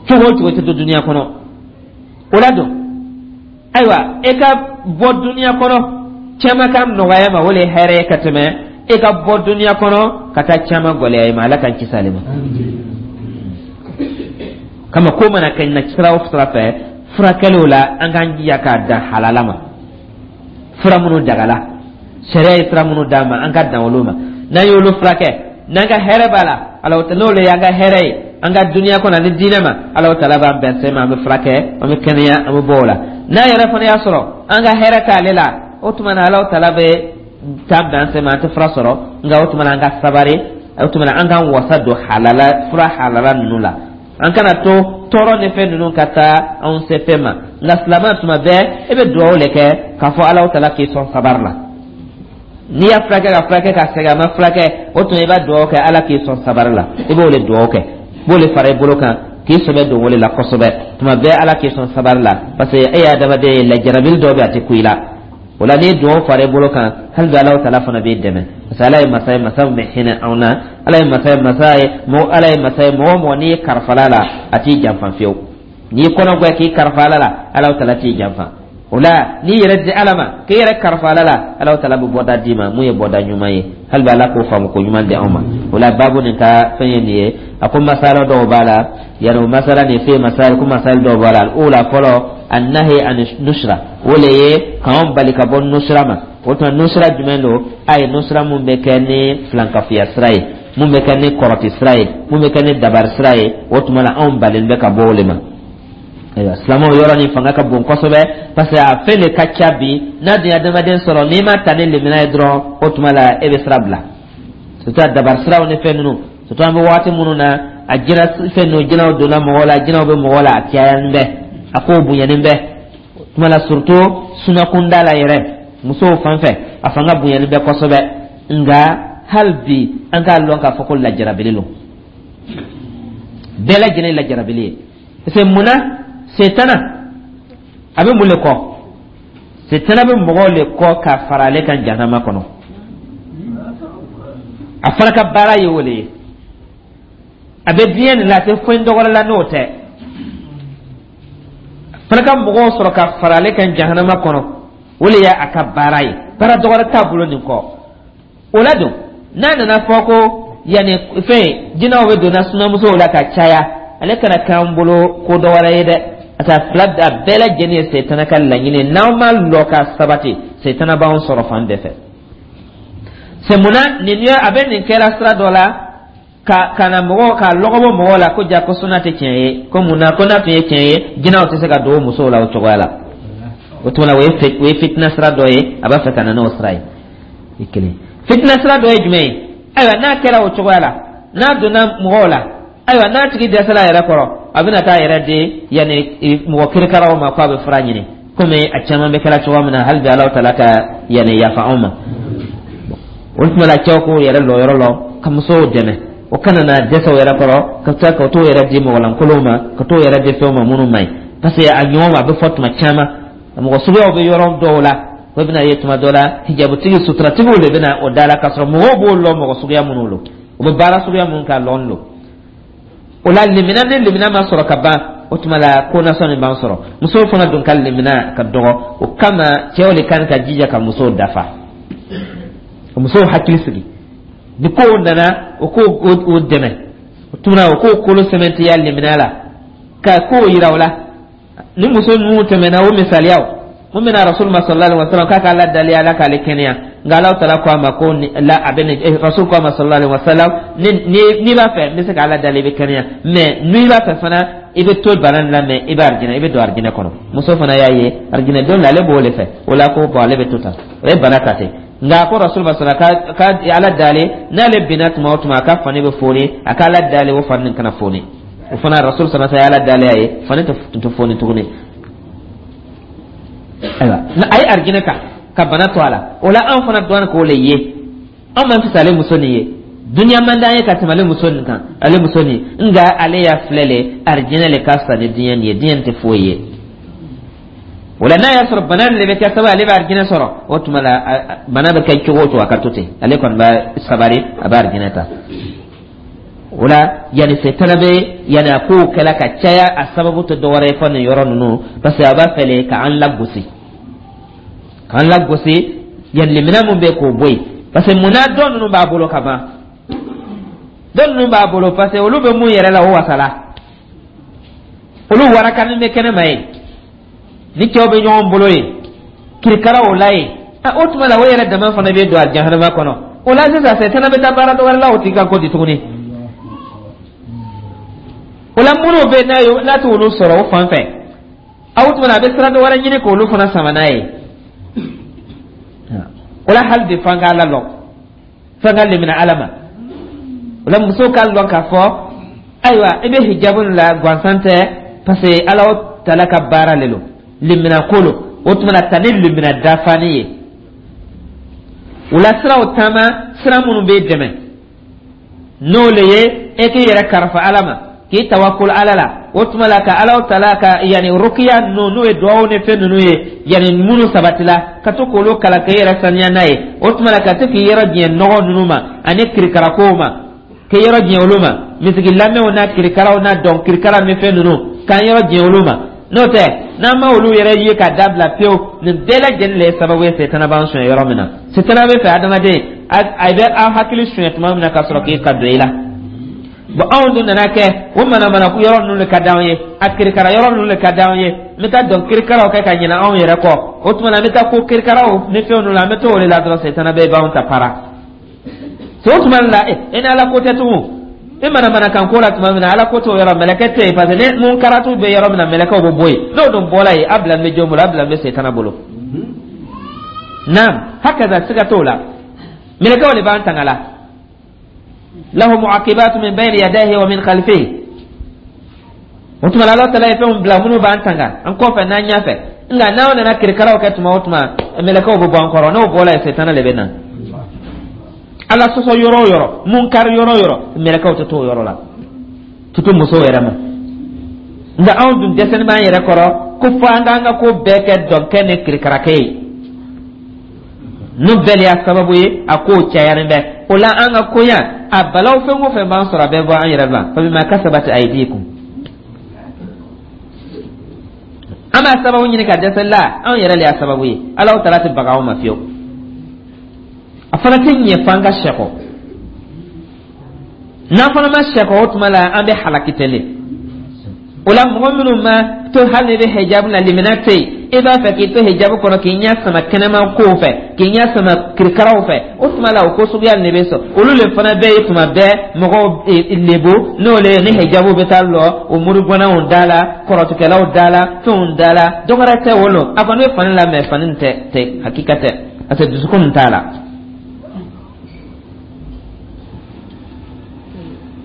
Cogo o cogo, i tɛ to duniya kɔnɔ. O la don, ayiwa, e ka bɔ duniya kɔnɔ caman ka nɔgɔya ma, o de ye hɛrɛ ye ka tɛmɛ e ka bɔ duniya kɔnɔ ka taa caman gɛlɛya i ma. Ala k'an kisi ale ma. Kama ko mana kɛ na sira o sira fɛ, furakɛliw la, an k'an jija k'a dan halala ma, fura minnu dagala. Sariya ye sira minnu d'an ma, an ka dan olu ma. N'an y'olu furakɛ, n'an ka hɛrɛ b'a la, Alahu Taala, n'o le y'an ka hɛrɛ ye an ka duniya kɔnɔ ani diinɛ ma, Alahu Taala b'an bɛn sɛmɛ, an bɛ furakɛ, an bɛ kɛnɛya, an bɛ bɔ o la. N'a yɛrɛ fana y'a sɔrɔ an ka hɛrɛ t'ale la, o tuma na Alahu Taala bɛ taa bɛn sɛmɛ, an tɛ fura sɔrɔ. Nka o tuma na an ka sabari, o tuma na an k'an wasa don halala fura halala ninnu la. An kana to tɔɔrɔ ni fɛn ninnu ka taa anw se fɛn ma. Nka silamɛ, tuma bɛɛ e bɛ dugawu de kɛ k'a fɔ Alahu Taala k'i sɔn sabari la. N'i y'a furakɛ ka furakɛ ka sɛgɛn, a ma furakɛ, o tuma i b'a dugawu kɛ Ala k'i sɔn sabari la. I b'o de dugawu kɛ, i b'o de fara i bolo kan k'i sɛbɛ don o de la kosɛbɛ. Tuma bɛɛ Ala k'i sɔn sabari la, parce que e ye adamaden ye, lajarabili dɔw bɛ a tɛ ku i la. O la n'i ye dugawu fara i bolo kan, hali bi Alahu Taala fana b'i dɛmɛ, parce que Ala ye masa ye, masa min bɛ hinɛ anw na. Ala ye masa ye, masa ye mɔgɔ, Ala ye masa ye, mɔgɔ o mɔgɔ n'i ye karifala la, a t'i janfa fiyewu. N'i kɔnɔ gɛn k'i karifa Ala la, Alahu Taala t'i janfa. O la n'i yɛrɛ di Ala ma, k'i yɛrɛ karifa Ala la, Alahu Taala bɛ bɔda d'i ma mun ye bɔda ɲuman ye. Hali bi Ala k'o faamu ko ɲuman di anw ma. O la baabu nin ka fɛn ye nin ye. A ko masala dɔw b'a la yani, o masala nin fɛn masala ko masala dɔw b'a la. O la fɔlɔ, annahi an nusra, o le ye k'anw bali ka bɔ nusra ma. O tuma nusra jumɛn don? A ye nusra mun bɛ kɛ ni filankafoya sira ye, mun bɛ kɛ ni kɔrɔti sira ye, mun bɛ kɛ ni dabari sira ye, o tuma la anw balen bɛ ka bɔ o le ma. Ayiwa silamɛw, yɔrɔ nin fanga ka bon kosɛbɛ, parce que a fɛn de ka ca bi. N'a dun ye adamaden sɔrɔ, n'i ma ta ni limina ye dɔrɔn, o tuma la e bɛ sira bila, surtout dabari siraw ni fɛn ninnu. Surtout an bɛ waati minnu na, a jinɛ fɛn ninnu, jinɛw donna mɔgɔw la, jinɛw bɛ mɔgɔw la, a cayalen bɛ, a kow bonyanen bɛ. O tuma la surtout sunakunda la yɛrɛ, musow fan fɛ, a fanga bonyalen bɛ kosɛbɛ. Nka hali bi an k'a lɔn k'a fɔ ko lajarabili don, bɛɛ lajɛlen ye lajarabili ye. Parce que munna? Setana a bɛ mun le kɔ? Setana bɛ mɔgɔw le kɔ ka fara ale kan jahanama kɔnɔ. A fana ka baara ye o le ye. A bɛ diɲɛ nin la, a tɛ fɛn dɔgɔrɛ la n'o tɛ. A fana ka mɔgɔw sɔrɔ ka fara ale kan jahanama kɔnɔ, o le ye a ka baara ye. Baara dɔgɔrɛ t'a bolo nin kɔ. O la don n'a nana fɔ ko yanni fɛn jinɛw bɛ donna sunamusow la ka caya, ale kana k'an bolo ko dɔ wɛrɛ ye dɛ. A fila a bɛɛ lajɛlen ye setana ka laɲini ye. N'aw ma lɔ ka sabati, setana b'anw sɔrɔ fan bɛɛ fɛ. C'est munna nin ye a bɛ nin kɛra sira dɔ la ka ka na mɔgɔw ka lɔgɔbɔ mɔgɔw la ko ja ko suna tɛ tiɲɛ ye, ko mun na? Ko n'a tun ye tiɲɛ ye, jinɛw tɛ se ka don musow la o cogoya la. O tuma na o ye o ye fitina sira dɔ ye, a b'a fɛ ka na n'o sira ye. I kelen fitina sira dɔ ye jumɛn ye? Ayiwa, n'a kɛra o cogoya la, n'a donna mɔgɔw la, ayiwa, n'a tigi dɛsɛra a yɛrɛ kɔrɔ, a bɛna taa yɛrɛ di yanni mɔgɔ kirikaraw ma k'a bɛ fura ɲini, komi a caman bɛ kɛra cogoya min na. Hali bi Alahu Taala ka yanni yafa anw ma. O tuma la cɛw k'o yɛrɛ lɔ yɔrɔ lɔ ka musow dɛmɛ, o kana na dɛsɛ o yɛrɛ kɔrɔ ka taa ka t'o yɛrɛ di mɔgɔlankolonw ma, ka t'o yɛrɛ di fɛnw ma minnu man ɲi. Parce que a ɲɔgɔn a bɛ fɔ tuma caman, mɔgɔ suguyaw bɛ yɔrɔ dɔw la, o bɛna ye tuma dɔ la hijabutigi suturatigiw de bɛna o da la, k'a sɔrɔ mɔgɔw b'o lɔ mɔgɔ suguya minnu don, u bɛ baara suguya minnu k'a lɔn don o la. Limina ni limina ma sɔrɔ ka ban, o tuma la ko nasɔn nin b'an sɔrɔ. Musow fana dun ka limina ka dɔgɔ, o kama cɛw de kan ka jija ka musow dafa, ka musow hakili sigi. Ni kow nana, o k'o o dɛmɛ, o tuma o k'o kolo sɛmɛntiya limina la, ka kow yira o la. Ni muso ninnu tɛmɛna, o misaliyaw mun bɛna Rasul ma sallallahu alaihi wasallam k'a k'a la dali Ala k'ale kɛnɛya. Nka Ala taala ko a ma ko la a bɛ nin Rasul ko a ma sallallahu alaihi wasallam: ni ni n'i b'a fɛ, n bɛ se k'Ala dali, i bɛ kɛnɛya, mais n'i b'a fɛ fana, i bɛ to bana nin la, mais i bɛ arijinɛ, i bɛ don arijinɛ kɔnɔ. Muso fana y'a ye arijinɛ don la, ale b'o de fɛ. O la ko bon, ale bɛ to tan, o ye bana ta ten. Nka a ko Rasul ma sallallahu ka ka Ala dali, n'ale binna tuma o tuma, a ka fani bɛ foni, a ka Ala dali o fani nin kana foni. O fana Rasul sallallahu alaihi wasallam ye Ala dali a ye, fani tɛ foni tuguni. Ayiwa, a ye arijinɛ kan ka bana to a la. O la anw fana dɔn k'o le ye, anw man fisa ale muso nin ye. Duniya man d'an ye ka tɛmɛ ale muso nin kan, ale muso nin. Nka ale y'a filɛ le, arijinɛ le ka fisa ni diɲɛ nin ye, diɲɛ nin tɛ foyi ye. O la n'a y'a sɔrɔ bana nin de bɛ kɛ sababu ale bɛ arijinɛ sɔrɔ, o tuma la bana bɛ kɛ cogo o cogo, a ka to ten, ale kɔni b'a sabari, a bɛ arijinɛ ta. O la yanni setana bɛ yanni a kow kɛla ka caya, a sababu tɛ dɔwɛrɛ ye fɔ nin yɔrɔ ninnu, parce que a b'a fɛ le k'an lagosi, k'an lagosi yanni limina mun bɛ k'o bɔ yen. Parce que munna dɔ ninnu b'a bolo ka ban, dɔ ninnu b'a bolo, parce que olu bɛ mun yɛrɛ la, o wasala, olu warakanin bɛ kɛnɛ ma ye, ni cɛw bɛ ɲɔgɔn bolo ye, kirikara o la ye. A o tuma la, o yɛrɛ dama fana bɛ don a jahanama kɔnɔ. O la sisan, sɛtana bɛ taa baara dɔ wɛrɛ la o tigi kan ko di tuguni. O la, minnu bɛ n'a ye, n'a t'olu sɔrɔ o fan fɛ, a o tuma na, a bɛ sira dɔ wɛrɛ ɲini k'olu fana sama n'a ye. O la, hali bi, f'an k'a lalɔ, f'an ka lemina Ala ma. O la, musow k'a lɔn k'a fɔ, ayiwa, i bɛ hijabu la gansan tɛ, parce que Ala tala ka baara le lo, lemina ko lo. O tuma na, ta ni lemina dafani ye. O la, siraw taama, sira minnu b'e dɛmɛ, n'o le ye e k'i yɛrɛ kalifa Ala ma, k'i tawakul Ala la. O tuma la, ka Ala tala ka yanni rukiya ninnu, n'o ye duwawu ni fɛn ninnu ye, yanni minnu sabatila, ka to k'olu kalan k'i yɛrɛ saniya n'a ye. O tuma la, ka to k'i yɔrɔ diɲɛ nɔgɔ ninnu ma ani kirikarakow ma, k'i yɔrɔ diɲɛ olu ma, misigi lamɛnw n'a kirikaraw n'a dɔn kirikara ni fɛn ninnu, k'an yɔrɔ diɲɛ olu ma. N'o tɛ, n'an ma olu yɛrɛ ye ka dabila pewu, nin bɛɛ lajɛlen le ye sababu ye setana b'an suɲɛ yɔrɔ min na. Setana bɛ fɛ adamaden a bɛ aw hakili suɲɛ tuma min na, ka sɔrɔ k'i ka don i la. Bon, anw dun nana kɛ o manamana yɔrɔ ninnu de ka d'anw ye, a kirikara yɔrɔ ninnu de ka d'anw ye. N bɛ taa dɔn kirikaraw kɛ ka ɲinɛ anw yɛrɛ kɔ. O tuma na, an bɛ taa ko kirikaraw ni fɛnw ninnu la, an bɛ to o de la dɔrɔn, setana bɛɛ b'anw ta para. O tuma la, e ni Ala ko tɛ tugun. E manamana kan ko la tuma min na, Ala ko t'o yɔrɔ, mɛlɛkɛ tɛ yen, parce que ni mun karatu bɛ yɔrɔ min na, mɛlɛkɛw bɛ bɔ yen. N'o dun bɔra yen, a bila bɛ jɔn bolo? A bila bɛ setana bolo. Naam, hakaza, siga t'o la, mɛlɛkɛw de b'an tanga la. Lahu mu'aqibatu min bayni yadayhi wa min khalfihi. O tuma la, Ala tala ye fɛnw bila minnu b'an tanga an kɔfɛ n'an ɲɛfɛ. Nka n'aw nana kirikaraw kɛ tuma o tuma, mɛlɛkɛw bɛ bɔ an kɔrɔ. N'o bɔra yen, setana de bɛ na. Ala sɔsɔ yɔrɔ o yɔrɔ, munkari yɔrɔ o yɔrɔ, mɛlɛkɛw tɛ to o yɔrɔ la, tutu musow yɛrɛ ma. Nka anw dun dɛsɛni b'an yɛrɛ kɔrɔ ko fo an k'an ka ko bɛɛ kɛ dɔnkɛ ni kirikarakɛ ye. N'o bɛɛ de y'a sababu ye a kow cayalen bɛ. O la, an ka koɲa a balaw, fɛn o fɛn b'an sɔrɔ, a bɛɛ bɔ an yɛrɛ la. Fabima kasabat aydikum. An b'a sababu ɲini ka dɛsɛ la, anw yɛrɛ de y'a sababu ye. Ala taala tɛ baga anw ma fiyewu. A fana tɛ ɲɛ f'an ka sɛkɔ. N'an fana ma sɛkɔ, o tuma la an bɛ halaki tɛlen. O la, mɔgɔ minnu ma to, hali n'i bɛ hijabu la, limina tɛ yen, i b'a fɛ k'i to hijabu kɔnɔ, k'i ɲɛ sama kɛnɛma kow fɛ, k'i ɲɛ sama kirikaraw fɛ, o tuma la, o ko suguya de bɛ sɔn. Olu le fana bɛɛ ye tuma bɛɛ mɔgɔw lebu, n'o le ni hijabu bɛ taa lɔ o muruganaw da la, kɔrɔtukɛlaw da la, fɛnw da la. Dɔ wɛrɛ tɛ o lo, a kɔni bɛ fani la, mɛ fani tɛ tɛ hakika tɛ, parce que dusukun t'a la.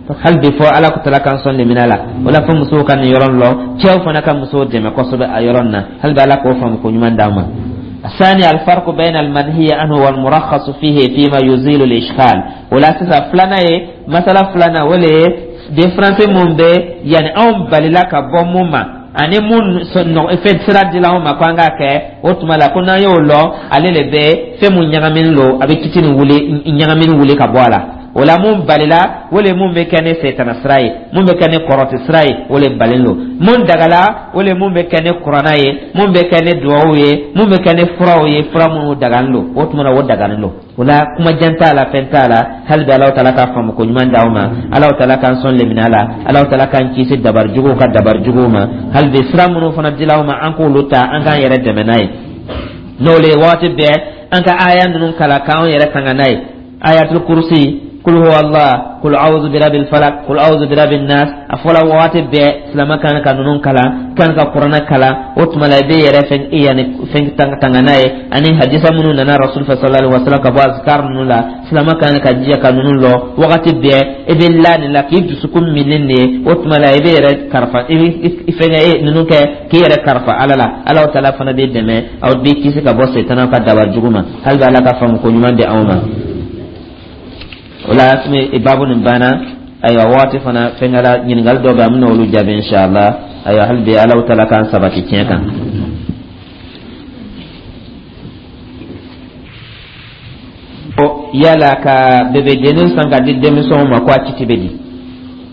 Hali bi, fɔ Ala ko tala k'an sɔn lemina la. O la, fo musow ka nin yɔrɔ lɔ, cɛw fana ka musow dɛmɛ kosɛbɛ a yɔrɔ nin na. Hali bi, Ala k'o faamu ko ɲuman d'an ma. الثاني، الفرق بين المنهي عنه والمرخص فيه فيما يزيل الإشكال. ولا سيسا فلانا مسألة فلانا ولا différence mun bɛ yani anw balila ka bɔ mun ma ani mun fɛn sira dila anw ma ko an k'a kɛ. O tuma la, ko n'an y'o lɔ, ale le bɛ fɛn mun ɲagaminen lo, a bɛ kiti nin wuli, ɲagamini wuli ka bɔ a la. O la, mun balila, o le mun bɛ kɛ ni setana sira ye, mun bɛ kɛ ni kɔrɔti sira ye, o le balen lo. Mun dagala, o le mun bɛ kɛ ni kuranna ye, mun bɛ kɛ ni duwawu ye, mun bɛ kɛ ni furaw ye, fura minnu dagalen lo. O tuma na, o dagalen lo. O la, kuma jan t'a la, fɛn t'a la. Hali bi, Alahu taala k'a faamu ko ɲuman d'aw ma. Alahu taala k'an sɔn lemina la. Alahu taala k'an kisi dabari juguw ka dabari juguw ma. Hali bi, sira minnu fana dila aw ma, an k'olu ta, an k'an yɛrɛ dɛmɛ n'a ye. N'o le ye, waati bɛɛ an ka aya ninnu kalan k'anw yɛrɛ tanga n'a ye: ayatul kursi, kul huwa Allah, kul a'udhu birabil falak, kul a'udhu birabin nas. A fɔla waati bɛɛ silama kan ka ninnu kalan, kan ka kuranɛ kalan. O tuma la, i bɛ yɛrɛ fɛn yanni fɛn tanga n'a ye, ani hadisa minnu nana rasul fɛ sallallahu alaihi wasallam ka bɔ azkar ninnu la. Silama kan ka jija ka ninnu lɔ wagati bɛɛ. I bɛ la nin la k'i dusukun minni nin ye. O tuma la, i bɛ yɛrɛ karifa, i bɛ fɛnkɛ e ninnu kɛ k'i yɛrɛ karifa Ala la. Ala taala fana b'i dɛmɛ, aw b'i kisi ka bɔ setana ka dabari jugu ma. Hali bi, Ala ka faamu ko ɲuman di anw ma. O la, baabu nin banna. Ayiwa, waati fana fɛnkɛla, ɲininkali dɔ bɛ, an bɛna olu jaabi inshallah. Ayiwa, hali bi, Ala taala k'an sabati tiɲɛ kan. Yala ka bebedennin san ka di denmisɛnw ma, ko a kiti bɛ di?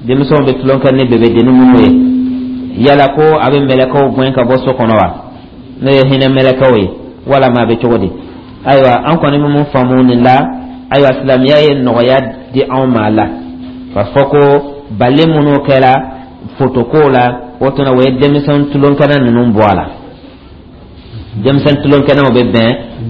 Denmisɛnw bɛ tulon kɛ ni bebedennin minnu ye, yala ko a bɛ mɛlɛkɛw gɛn ka bɔ so kɔnɔ wa, n'o ye hinɛ mɛlɛkɛw ye, walama a bɛ cogo di? Ayiwa, an kɔni bɛ mun faamu nin la? Ayiwa, silamɛya ye nɔgɔya di anw ma a la k'a fɔ ko bali minnu kɛra fotokow la, o tuma o ye denmisɛn tulonkɛnɛ ninnu bɔ a la. Denmisɛn tulonkɛnɛw bɛ bɛn,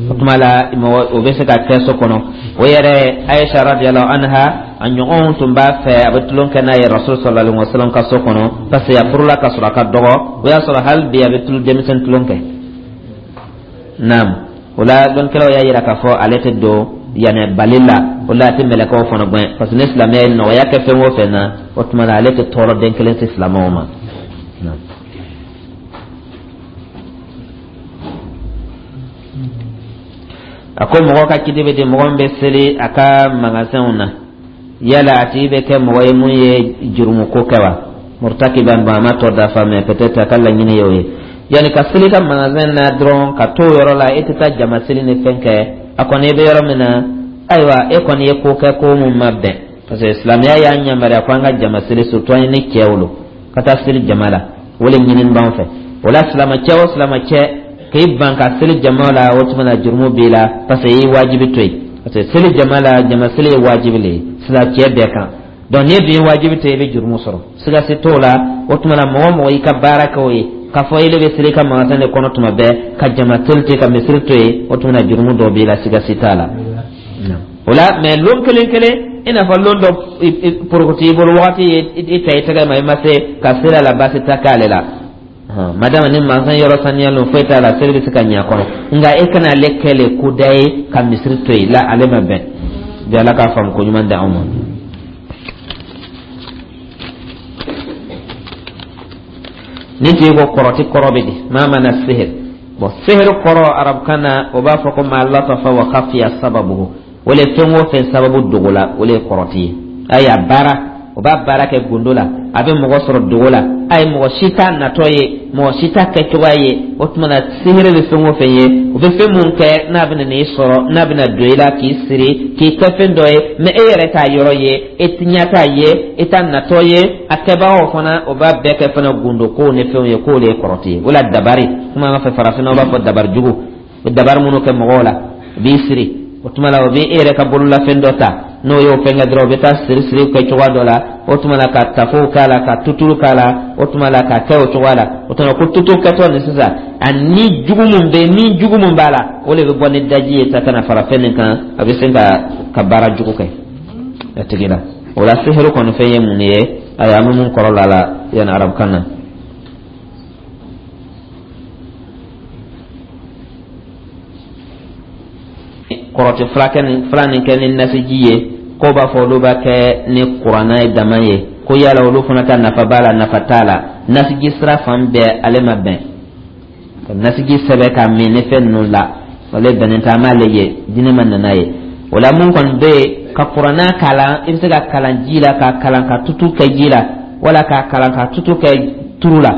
o tuma la mɔgɔ o bɛ se ka kɛ so kɔnɔ. O yɛrɛ, Ayisa radiyallahu anha, a ɲɔgɔnw tun b'a fɛ, a bɛ tulon kɛ n'a ye Rasul sallallahu alaihi wasallam ka so kɔnɔ, parce que a furula ka sɔrɔ a ka dɔgɔ. O y'a sɔrɔ hali bi a bɛ tulu denmisɛn tulon kɛ. Naam, o la dɔnnikɛlaw y'a yira k'a fɔ ale tɛ don yanni bali la. O la a tɛ mɛlɛkɛw fana gɛn, parce que ni silamɛya ye nɔgɔya kɛ fɛn o fɛn na, o tuma la ale tɛ tɔɔrɔ den kelen se silamɛw ma. A ko mɔgɔ ka kiti bɛ di mɔgɔ min bɛ seli a ka magasinw na, yala a tigi bɛ kɛ mɔgɔ ye mun ye jurumuko kɛ wa? Murtakiban, bon, a ma tɔ dafa, mais peut-être a ka laɲini ye o ye. Yanni ka seli ka magasin na dɔrɔn, ka to o yɔrɔ la, e tɛ taa jama seli ni fɛn kɛ, a kɔni e bɛ yɔrɔ min na, ayiwa, e kɔni ye ko kɛ ko mun ma bɛn, parce que silamɛya y'an yamaruya ko an ka jama seli, surtout an ye ni cɛw lo ka taa seli jama la, o le ɲinini b'an fɛ. O la silamɛcɛ o silamɛcɛ k'i ban ka seli jama la, o tuma na jurumu b'i la, parce que i ye wajibi to yen, parce que seli jama la, jama seli ye wajibi le ye silamɛcɛ bɛɛ kan. Donc n'i dun ye wajibi to yen, i bɛ jurumu sɔrɔ, siga si t'o la. O tuma na mɔgɔ o mɔgɔ y'i ka baara kɛ o ye, k'a fɔ ele bɛ seli i ka magasin de kɔnɔ tuma bɛɛ, ka jama seli to yen, ka misiri to yen, o tuma na jurumu dɔ b'i la, siga si t'a la. O la, mais lon kelen kelen, i n'a fɔ lon dɔ porokoto i bolo, wagati ye i ta i tɛgɛ ma, i ma se ka seli a la, baasi tɛ k'ale la. Madama ni mansan yɔrɔ saniyalen, foyi t'a la, seli bɛ se ka ɲɛ a kɔnɔ. Nka e kana ale kɛ le koda ye ka misiri to yen la, ale ma bɛn bi. Ala k'a faamu ko ɲuman di anw ma. Ni tigi ko kɔrɔti kɔrɔ bɛ di maa mana sihir, bon, sihir kɔrɔ arabukan na, o b'a fɔ ko ma latafa wa khafiya sababuhu. O le fɛn o fɛn sababu dogo la, o le ye kɔrɔti ye. A y'a baara, o b'a baara kɛ gundo la, a bɛ mɔgɔ sɔrɔ dogo la, a ye mɔgɔ si t'a natɔ ye, mɔgɔ si t'a kɛcogoya ye. O tuma na sihiri bɛ fɛn o fɛn ye, o bɛ fɛn mun kɛ n'a bɛna n'i sɔrɔ, n'a bɛna don i la k'i siri, k'i kɛ fɛn dɔ ye, mais e yɛrɛ t'a yɔrɔ ye, e ɲɛ t'a ye, e t'a natɔ ye. A kɛbagaw fana, o b'a bɛɛ kɛ fana gundo kow ni fɛnw ye, k'o de ye kɔrɔti ye. O la dabari, komi an ka fɛ farafinna, o b'a fɔ dabari jugu, o dabari minnu kɛ mɔgɔw la, o b'i siri. O tuma la o bɛ e yɛrɛ ka bololafɛn dɔ ta, n'o y'o fɛn kɛ dɔrɔn, o bɛ taa siri siri kɛ cogoya dɔ la. O tuma la ka tafow k'a la, ka tuturu k'a la, o tuma la ka kɛ o cogoya la. O tuma ko tutu kɛtɔ nin sisan, a ni jugu mun bɛ, ni jugu mun b'a la, o de bɛ bɔ ni daji ye ta ka na fara fɛn nin kan, a bɛ se ka ka baara jugu kɛ a tigi la. O la sihiru kɔni fɛn ye mun ye? Ayiwa, an bɛ mun kɔrɔ la la yanni arabukan na. Kɔrɔti furakɛ nin fila nin kɛ ni nasiji ye, ko b'a fɔ olu b'a kɛ ni kuranna ye dama ye, ko yala olu fana ka nafa b'a la, nafa t'a la? Nasiji sira fan bɛɛ ale ma bɛn ka nasiji sɛbɛ k'a min ni fɛn ninnu la, ale bɛnnen tɛ, an m'ale ye, diinɛ ma nana ye. O la mun kɔni bɛ yen, ka kuranna kalan, i bɛ se ka kalan ji la, ka kalan ka tutu kɛ ji la, wala ka kalan ka tutu kɛ turu la,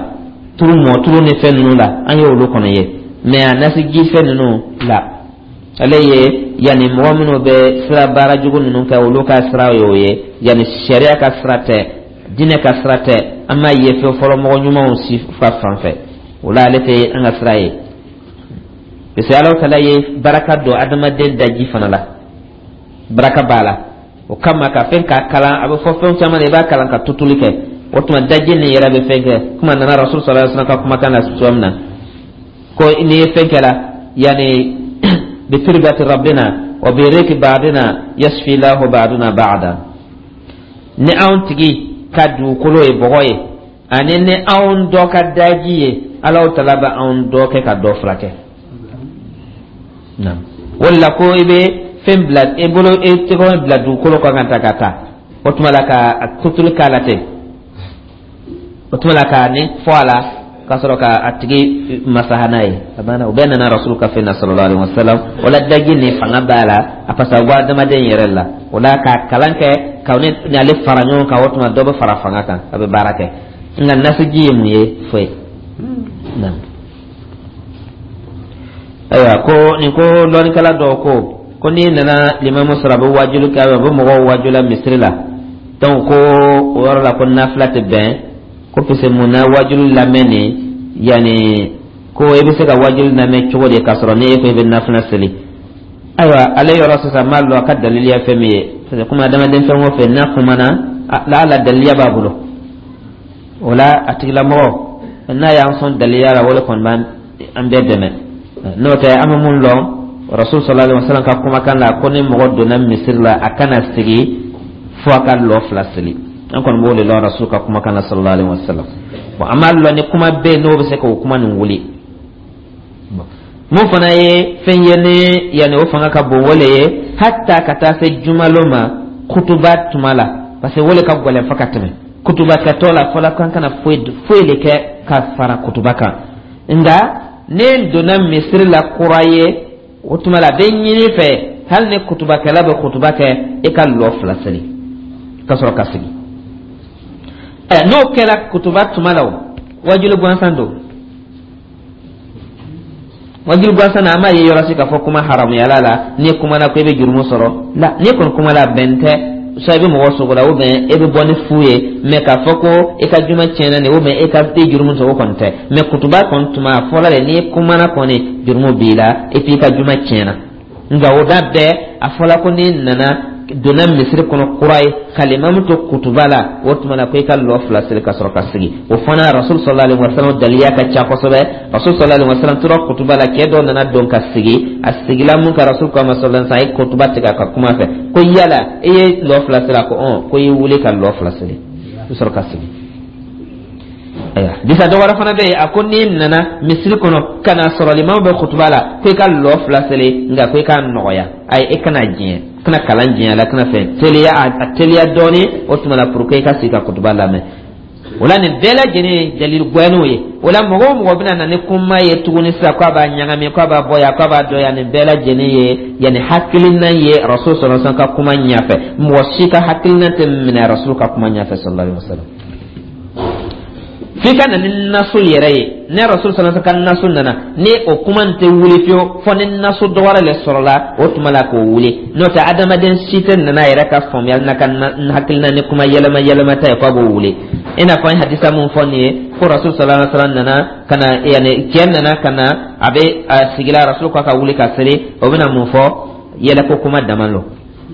turu mɔ turu ni fɛn ninnu la, an ye olu kɔni ye. Mais a nasiji fɛn ninnu la, ale ye yanni mɔgɔ minnu bɛ sira baara jugu ninnu kɛ, olu ka sira ye o ye, yanni sariya ka sira tɛ, diinɛ ka sira tɛ, an m'a ye fɛn fɔlɔ mɔgɔ ɲumanw si fa fan fɛ. O la ale tɛ an ka sira ye, parce que Ala taala ye baraka don adamaden daji fana la, baraka b'a la. O kama ka fɛn k'a kalan, a bɛ fɔ fɛn caman na, i b'a kalan ka tutuli kɛ, o tuma daji nin yɛrɛ bɛ fɛn kɛ. Kuma nana Rasul sallallahu alaihi wasallam ka kumakan na cogoya min na, ko n'i ye fɛn kɛ la, yanni بتربة ربنا وبريك بعضنا يشفي الله بعضنا بعضا. Ni anw tigi ka dugukolo ye bɔgɔ ye, ani ni anw dɔ ka daji ye, Alahu taala bɛ anw dɔ kɛ ka dɔ furakɛ. O de la ko i bɛ fɛn bila i bolo, i tɛgɛ bila dugukolo kan ka taa ka taa, o tuma la ka tutuli k'a la ten, o tuma la ka nin fɔ a la, ka sɔrɔ ka a tigi masaha n'a ye. A banna, o bɛɛ nana Rasul ka fɛn na sallallahu alaihi wasallam. O la daji nin fanga b'a la, a parce que a bɔ adamaden yɛrɛ la. O la k'a kalan kɛ ka ni ale fara ɲɔgɔn kan, o tuma dɔ bɛ fara fanga kan, a bɛ baara kɛ. Nka nasiji ye mun ye? Foyi. Ayiwa, ko nin ko lɔnnikɛla dɔw ko ko n'i nana limamu sɔrɔ, a bɛ wajulu kɛ, a bɛ mɔgɔw wajula misiri la, donc ko o yɔrɔ la ko nafila tɛ bɛn, ko parce mun na wajulu lamɛn nin, yanni ko i bɛ se ka wajulu lamɛn cogo di k'a sɔrɔ ni e ko i bɛ nafila seli? Ayiwa, ale yɔrɔ sisan n b'a lɔn a ka daliliya fɛn min ye, parce que komi adamaden fɛn o fɛn n'a kumana, la ala daliliya b'a bolo. O la a tigilamɔgɔ n'a y'an sɔn daliliya la, o de kɔni b'an bɛɛ dɛmɛ. N'o tɛ, an bɛ mun lɔn Rasul sallallahu alaihi wasallam ka kumakan la, ko ni mɔgɔ donna misiri la, a kana sigi fo a ka lɔ fila seli. An kɔni b'o de lɔn Rasul ka kumakan la sallallahu alaihi wasallam. Bon, an b'a lɔn ni kuma bɛ yen, n'o bɛ se k'o kuma nin wuli. Mun fana ye fɛn ye ni yanni o fanga ka bon, o le ye hatta ka taa se jumalon ma kutuba tuma la, parce que o le ka gɛlɛn fo ka tɛmɛ kutuba kɛtɔ la. Fɔlɔ kan kana foyi foyi de kɛ ka fara kutuba kan. Nka ne donna misiri la kura ye, o tuma la a bɛ ɲini fɛ, hali ni kutubakɛla bɛ kutuba kɛ, e ka lɔ fila seli ka sɔrɔ ka sigi. Ɛ, n'o kɛra kutuba tuma la, o wajulu gansan don. Wajulu gansan na, an b'a ye yɔrɔ si k'a fɔ kuma haramuyala la, n'i kumana ko i bɛ jurumu sɔrɔ la. N'i kɔni kuma la, bɛn tɛ, soit i bɛ mɔgɔ sogo la, ou bien e bɛ bɔ ni fu ye. Mais k'a fɔ ko e ka juma tiɲɛna nin, ou bien e ka e jurumu sɔrɔ, o kɔni tɛ. Mais kutuba kɔni tuma, a fɔla de, n'i kumana kɔni, jurumu b'i la, et puis i ka juma tiɲɛna. Nka o da bɛɛ, a fɔla ko n'i nana donna misiri kɔnɔ kura ye ka limamu to kutuba la, o tuma na ko i ka lɔ fila seli ka sɔrɔ ka sigi. O fana, Rasul sallallahu alaihi wasallam daliya ka ca kosɛbɛ. Rasul sallallahu alaihi wasallam tora kutuba la, cɛ dɔ nana don ka sigi. A sigila mun ka, Rasul ko a ma sallallahu alaihi wasallam, a ye kutuba tigɛ a ka kuma fɛ ko yala e ye lɔ fila seli? A ko ɔn. Ko i wuli ka lɔ fila seli i sɔrɔ ka sigi. Ayiwa, bisa dɔ wɛrɛ fana bɛ yen, a ko n'i nana misiri kɔnɔ ka na sɔrɔ limamu bɛ kutuba la, ko i ka lɔ fila seli, nka ko i k'a nɔgɔya. Ayi, e kana diɲɛ, kana kalan diɲɛ la, kana fɛn teliya, a teliya dɔɔni o tuma la, pour que i ka sigi ka kutuba lamɛn. O la, nin bɛɛ lajɛlen ye dalili gbɛnniw ye. O la, mɔgɔ o mɔgɔ bɛna na ni kuma ye tuguni sisan k'a b'a ɲagami, k'a b'a bɔ yan, k'a b'a dɔn yan, nin bɛɛ lajɛlen ye yanni hakilina ye Rasul sallallahu alaihi wasallam ka kuma ɲɛfɛ. Mɔgɔ si ka hakilina tɛ minɛ Rasul ka kuma ɲɛfɛ sallallahu alaihi wasallam, f'i ka na ni nasu yɛrɛ ye. Ne Rasul sallallahu alaihi wasallam ka nasu nana ni o kuma nin tɛ wuli fiyewu, fɔ ni nasu dɔ wɛrɛ le sɔrɔla, o tuma la k'o wuli. N'o tɛ, adamaden si tɛ nana a yɛrɛ ka faamuyali n'a ka hakilina ni kuma yɛlɛma yɛlɛma ta ye k'a b'o wuli. I n'a fɔ an ye hadisa mun fɔ nin ye, ko Rasul sallallahu alaihi wasallam nana ka na, yanni cɛ nana ka na, a bɛ a sigila, Rasul ko a ka wuli ka seli. O bɛna mun fɔ? Yɛlɛko kuma dama lɔ,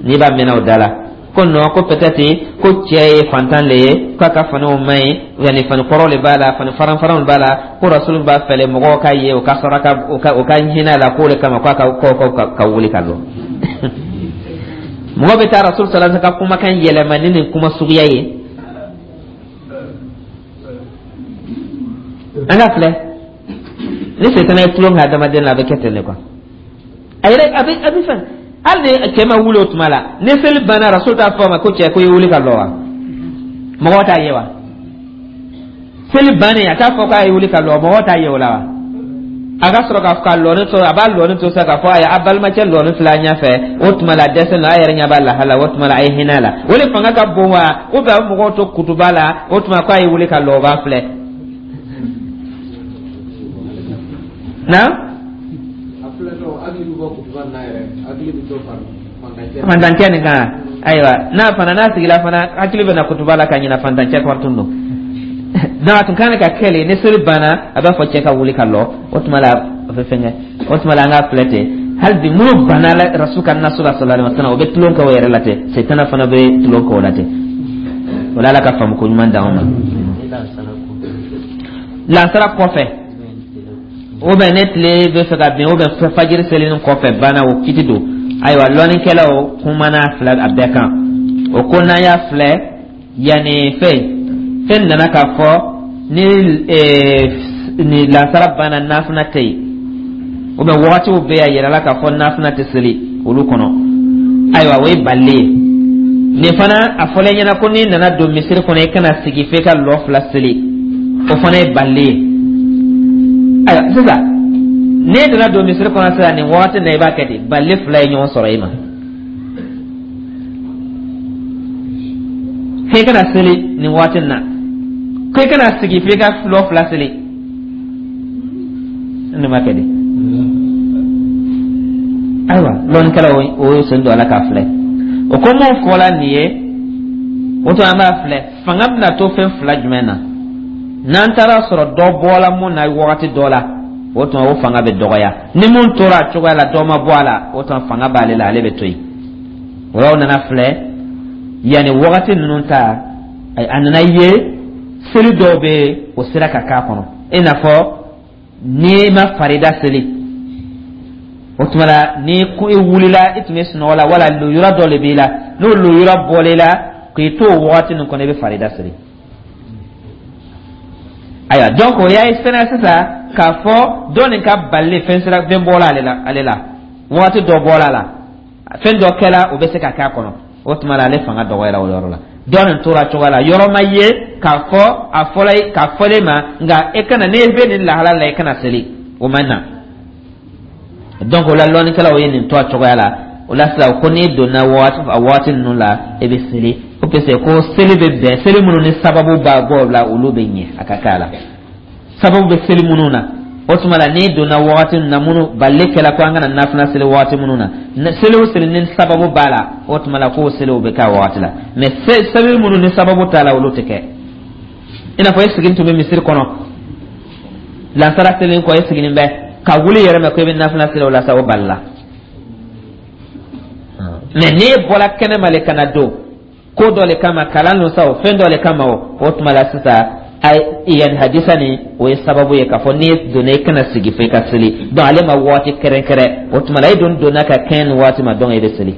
n'i b'a mɛnna o da la ko non, ko peut-être ko cɛ ye fantan le ye, k'a ka faniw man ɲi, yanni fani kɔrɔ le b'a la, fani faran faranw b'a la, ko Rasul b'a fɛlɛ mɔgɔw ka ye o ka sɔrɔ ka o ka o ka hinɛ a la, k'o le kama k'a ka ko ko ka, ka wuli ka lɔ. Mɔgɔ bɛ taa Rasul sallallahu alaihi wasallam ka kumakan yɛlɛma ni nin kuma suguya ye. An ka filɛ, ni setana ye tulon kɛ adamaden la, a bɛ kɛ ten de quoi. A yɛrɛ a bɛ a bɛ fɛn, hali ni cɛ ma wuli o tuma la, ni seli banna, Rasul t'a fɔ a ma ko cɛ, ko i ye wuli ka lɔ wa? Mɔgɔw t'a ye wa? Seli bannen, a t'a fɔ k'a ye wuli ka lɔ, mɔgɔw t'a ye o la wa? A ka sɔrɔ ka ka lɔni to, a b'a lɔni to sa k'a fɔ ayi, a balimacɛ lɔni filɛ a ɲɛfɛ, o tuma la dɛsɛ na, a yɛrɛ ɲɛ b'a lahala, o tuma la a ye hinɛ a la. O de fanga ka bon wa, ou bien a bɛ mɔgɔw to kutuba la, o tuma k'a ye wuli ka lɔ, o b'a filɛ na. Fantancɛ nin kan, ayiwa, n'a fana n'a sigila fana, hakili bɛ na kutuba la ka ɲina fantancɛ kɔrɔ tun don. Donc a tun kan ka kɛ le, ni seli banna, a b'a fɔ cɛ ka wuli ka lɔ, o tuma la o bɛ fɛnkɛ. O tuma la, an k'a filɛ ten. Hali bi, minnu banna Rasul ka nasu la sallallahu alaihi wasallam, o bɛ tulon kɛ o yɛrɛ la ten, setana fana bɛ tulon kɛ o la ten. O la, Ala ka faamu ko ɲuman d'anw ma. Lansara kɔfɛ, ou bien ne tile bɛ fɛ ka bin, ou bien fajiri selinin kɔfɛ banna, o kiti don. Ayiwa, lɔnnikɛlaw kumana filɛ a bɛɛ kan. O ko n'an y'a filɛ, yanni fɛn fɛn nana k'a fɔ ni ni lansara banna, nafila tɛ yen, ou bien wagatiw bɛ yen a yirala k'a fɔ nafila tɛ seli olu kɔnɔ. Ayiwa, o ye balili ye. Nin fana, a fɔlen ɲɛna ko n'i nana don misiri kɔnɔ, i kana sigi f'e ka lɔ fila seli, o fana ye balili ye. Ayiwa, sisan n'e nana don misiri kɔnɔ sisan nin wagati na, i b'a kɛ di? Balili fila ye ɲɔgɔn sɔrɔ i ma: f'e kana seli nin waati na, ko i kana sigi f'e ka lɔ fila seli. Ne ma kɛ di? Ayiwa, lɔnnikɛlaw o ye sen don a la k'a filɛ. O ko mun fɔla nin ye, o to an b'a filɛ, fanga bɛna to fɛn fila jumɛn na? N'an taara sɔrɔ dɔ bɔla mun na wagati dɔ la, o tuma o fanga bɛ dɔgɔya. Ni mun tora a cogoya la, dɔ ma bɔ a la, o tuma fanga b'ale la, ale bɛ to yen. O la, o nana filɛ yanni wagati ninnu ta, a nana ye seli dɔw bɛ yen, o sera ka k'a kɔnɔ, i n'a fɔ n'i ma farida seli O tuma la, ni ko i wulila, i tun bɛ sunɔgɔ la, wala lujura dɔ de b'i la, n'o lujura bɔl'i la k'i to o wagati nin kɔnɔ, i bɛ farida siri. Ayiwa, donc o y'a ye sɛnɛ sisan k'a fɔ dɔ nin ka balili, fɛn sira, fɛn bɔla ale la, ale la wagati dɔ bɔla a la, fɛn dɔ kɛla, o bɛ se ka k'a kɔnɔ. O tuma la, ale fanga dɔgɔyara o yɔrɔ la. Dɔ nin tora cogoya la, yɔrɔ ma ye k'a fɔ a fɔla k'a fɔlen ma, nka e kana, n'e bɛ nin lahala la, e kana seli, o ma na. Donc o la, lɔnnikɛlaw ye nin to a cogoya la. O la sisan, ko n'i donna waati a waati ninnu la, e bɛ seli, ko parce que ko seli bɛ bɛn seli minnu ni sababu b'a bɔ la, olu bɛ ɲɛ a ka k'a la, sababu bɛ seli minnu na. O tuma la, n'i donna wagati min na, minnu balili kɛla ko an kana nafila seli wagati minnu na, seli o seli ni sababu b'a la, o tuma la k'o seliw bɛ k'a wagati la. Mais seli minnu ni sababu t'a la, olu tɛ kɛ. I n'a fɔ e sigilen tun bɛ misiri kɔnɔ, lansara selen kɔ, e sigilen bɛ ka wuli yɛrɛ mɛ ko e bɛ nafila seli, o la sa, o balila. Mais n'e bɔra kɛnɛma le ka na don ko dɔ le kama, kalan lo sa o, fɛn dɔ le kama o, o tuma la sisan, yan hadisa nin, o ye sababu ye k'a fɔ n'i donna, i kana sigi fo i ka seli. Donc ale ma waati kɛrɛnkɛrɛn. O tuma la, e dun donna ka kɛɲɛ nin waati ma, donc e bɛ seli.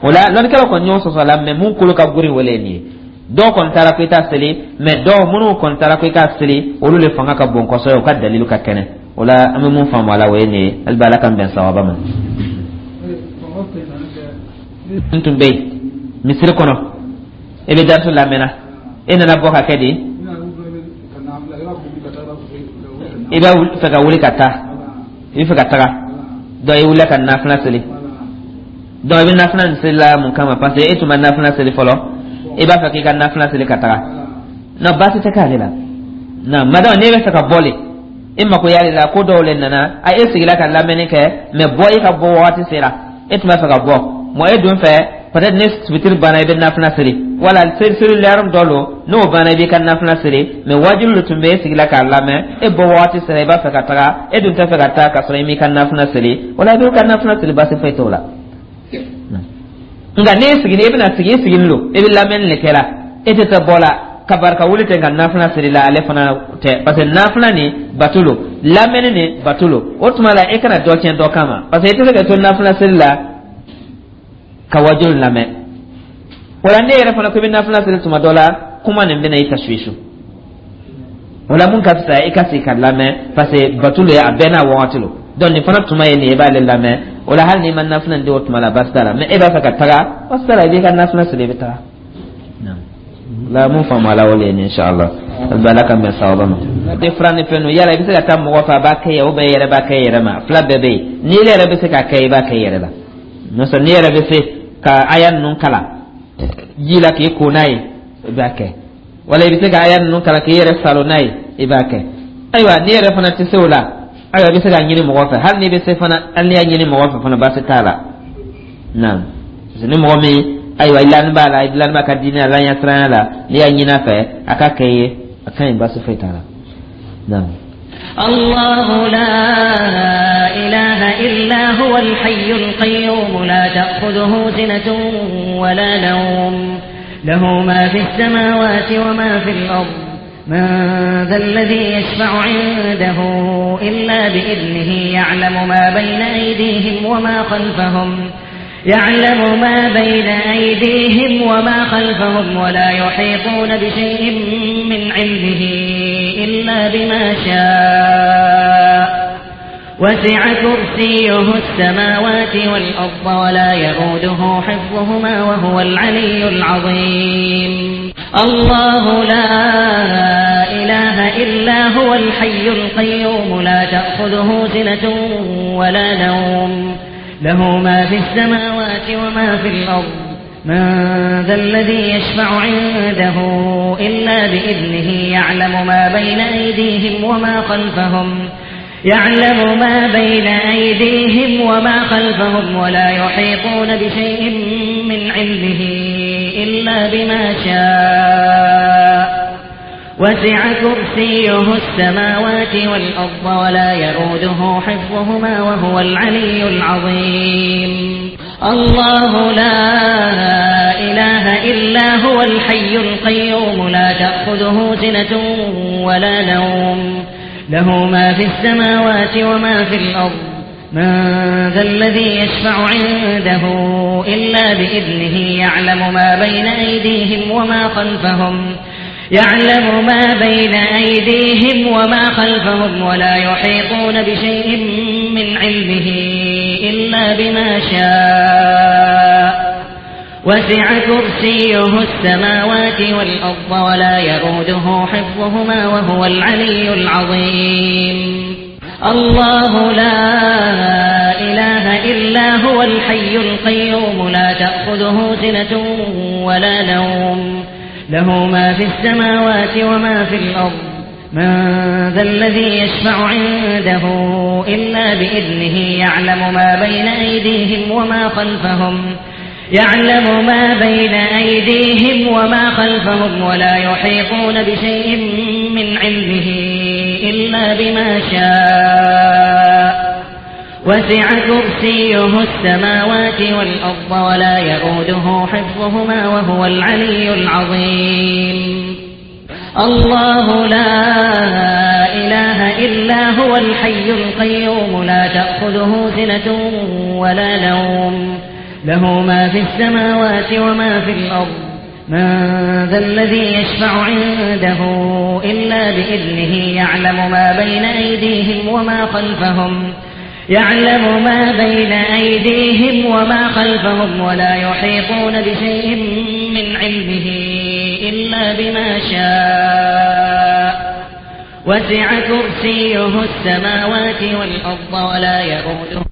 O la, lɔnnikɛlaw kɔni ɲɔgɔn sɔsɔ la, mais mun kolo ka girin, wele nin ye. Dɔw kɔni taara ko i t'a seli, mais dɔw minnu kɔni taara ko i k'a seli, olu le fanga ka bon kosɛbɛ, u ka dalilu ka kɛnɛ. O la, an bɛ mun faamu a la, o ye nin ye. Hali bi, Ala k'an bɛn sawaba ma. N tun bɛ yen misiri kɔnɔ, e bɛ darisu lamɛnna, e nana bɔ ka kɛ di, i b'a fɛ ka wuli ka taa, i bɛ fɛ ka taga, donc i wulila ka nafila seli. Donc i bɛ nafila nin seli la mun kama? Parce que e tun ma nafila seli fɔlɔ, i b'a fɛ k'i ka nafila seli ka taga. Non, baasi tɛ k'ale la. Non, madame, n'e bɛ fɛ ka bɔ le, e mako y'ale la, ko dɔw le nana, a e sigila ka lamɛnni kɛ, mais bɔ, i ka bɔ wagati sera, e tun b'a fɛ ka bɔ mɔ, e dun fɛ, peut-être ni fitiri banna, i bɛ nafila seli, wala seli seli lɛrɛ dɔ lo, n'o banna, i b'i ka nafila seli. Mais wajibi le tun bɛ e sigila k'a lamɛn, e bɔ wagati sera, i b'a fɛ ka taga, e dun tɛ fɛ ka taa ka sɔrɔ i m'i ka nafila seli, wala i b'i ka nafila seli, baasi foyi t'o la. Nka n'e sigini, e bɛna sigi, i sigilen don, e bɛ lamɛnni de kɛ la, e tɛ taa bɔ la ka barika wuli ten ka nafila seli la, ale fana tɛ, parce que nafila nin bato lo, lamɛnni nin bato lo. O tuma la, e kana dɔ tiɲɛ dɔ kama, parce que e tɛ se ka to nafila seli la ka wajulu lamɛn. Wala ne yɛrɛ fana ko i bɛ nafila seli tuma dɔ la, kuma nin bɛna i tasuwisu. Wala mun ka fisa, i ka sigi ka lamɛn, parce que bato lo ye, a bɛɛ n'a wagati lo. Donc nin fana tuma ye nin ye, i b'ale lamɛn. O la, hali n'i ma nafila nin di o tuma la, baasi t'a la. Mais e b'a fɛ ka taga, baasi t'a la, i b'i ka nafila seli, i bɛ taga. La mun faamu a la, o le ye nin, inshallah. Ala ka bɛn sawaba ma. Tɛ fura ni fɛn ninnu, yala i bɛ se ka taa mɔgɔ fɛ a b'a kɛ ye, ou bien i yɛrɛ b'a kɛ i yɛrɛ ma? Fila bɛɛ bɛ yen. N'i yɛrɛ bɛ se k'a kɛ, i b'a kɛ i yɛrɛ la. N'o tɛ, n'i yɛrɛ bɛ se ka aya ninnu kalan ji la k'i ko n'a ye, i b'a kɛ. Wala i bɛ se ka aya ninnu kalan k'i yɛrɛ salo n'a ye, i b'a kɛ. Ayiwa, n'i yɛrɛ fana tɛ se o la, ayiwa, i bɛ se k'a ɲini mɔgɔ fɛ. Hali n'i bɛ se fana, hali n'i y'a ɲini mɔgɔ fɛ fana, baasi t'a la. Naam, parce que ni mɔgɔ min, ayiwa, i lani b'a la, i lani b'a ka diinɛ la, ɲɛsiranya la, n'i y'a ɲini a fɛ a ka kɛ i ye, a ka ɲi, baasi foyi t'a la. Naam. الله لا إله إلا هو الحي القيوم لا تأخذه سنة ولا نوم له ما في السماوات وما في الأرض من ذا الذي يشفع عنده إلا بإذنه يعلم ما بين أيديهم وما خلفهم يعلم ما بين أيديهم وما خلفهم ولا يحيطون بشيء من علمه إلا بما شاء وسع كرسيه السماوات والأرض ولا يؤوده حفظهما وهو العلي العظيم الله لا إله إلا هو الحي القيوم لا تأخذه سنة ولا نوم له ما في السماوات وما في الأرض من ذا الذي يشفع عنده إلا بإذنه يعلم ما بين أيديهم وما خلفهم يعلم ما بين أيديهم وما خلفهم ولا يحيطون بشيء من علمه إلا بما شاء وسع كرسيه السماوات والأرض ولا يؤوده حفظهما وهو العلي العظيم الله لا إله إلا هو الحي القيوم لا تأخذه سنة ولا نوم له ما في السماوات وما في الأرض. من ذا الذي يشفع عنده إلا بإذنه يعلم ما بين أيديهم وما خلفهم يعلم ما بين أيديهم وما خلفهم ولا يحيطون بشيء من علمه إلا بما شاء وسع كرسيه السماوات والأرض ولا يؤوده حفظهما وهو العلي العظيم الله لا إله إلا هو الحي القيوم لا تأخذه سنة ولا نوم له ما في السماوات وما في الأرض من ذا الذي يشفع عنده إلا بإذنه يعلم ما بين أيديهم وما خلفهم يعلم ما بين أيديهم وما خلفهم ولا يحيطون بشيء من علمه إلا بما شاء وسع كرسيه السماوات والأرض ولا يؤوده حفظهما وهو العلي العظيم الله لا إله إلا هو الحي القيوم لا تأخذه سنة ولا نوم له ما في السماوات وما في الأرض من ذا الذي يشفع عنده إلا بإذنه يعلم ما بين أيديهم وما خلفهم يعلم ما بين أيديهم وما خلفهم ولا يحيطون بشيء من علمه إلا بما شاء وسع كرسيه السماوات والأرض ولا يؤوده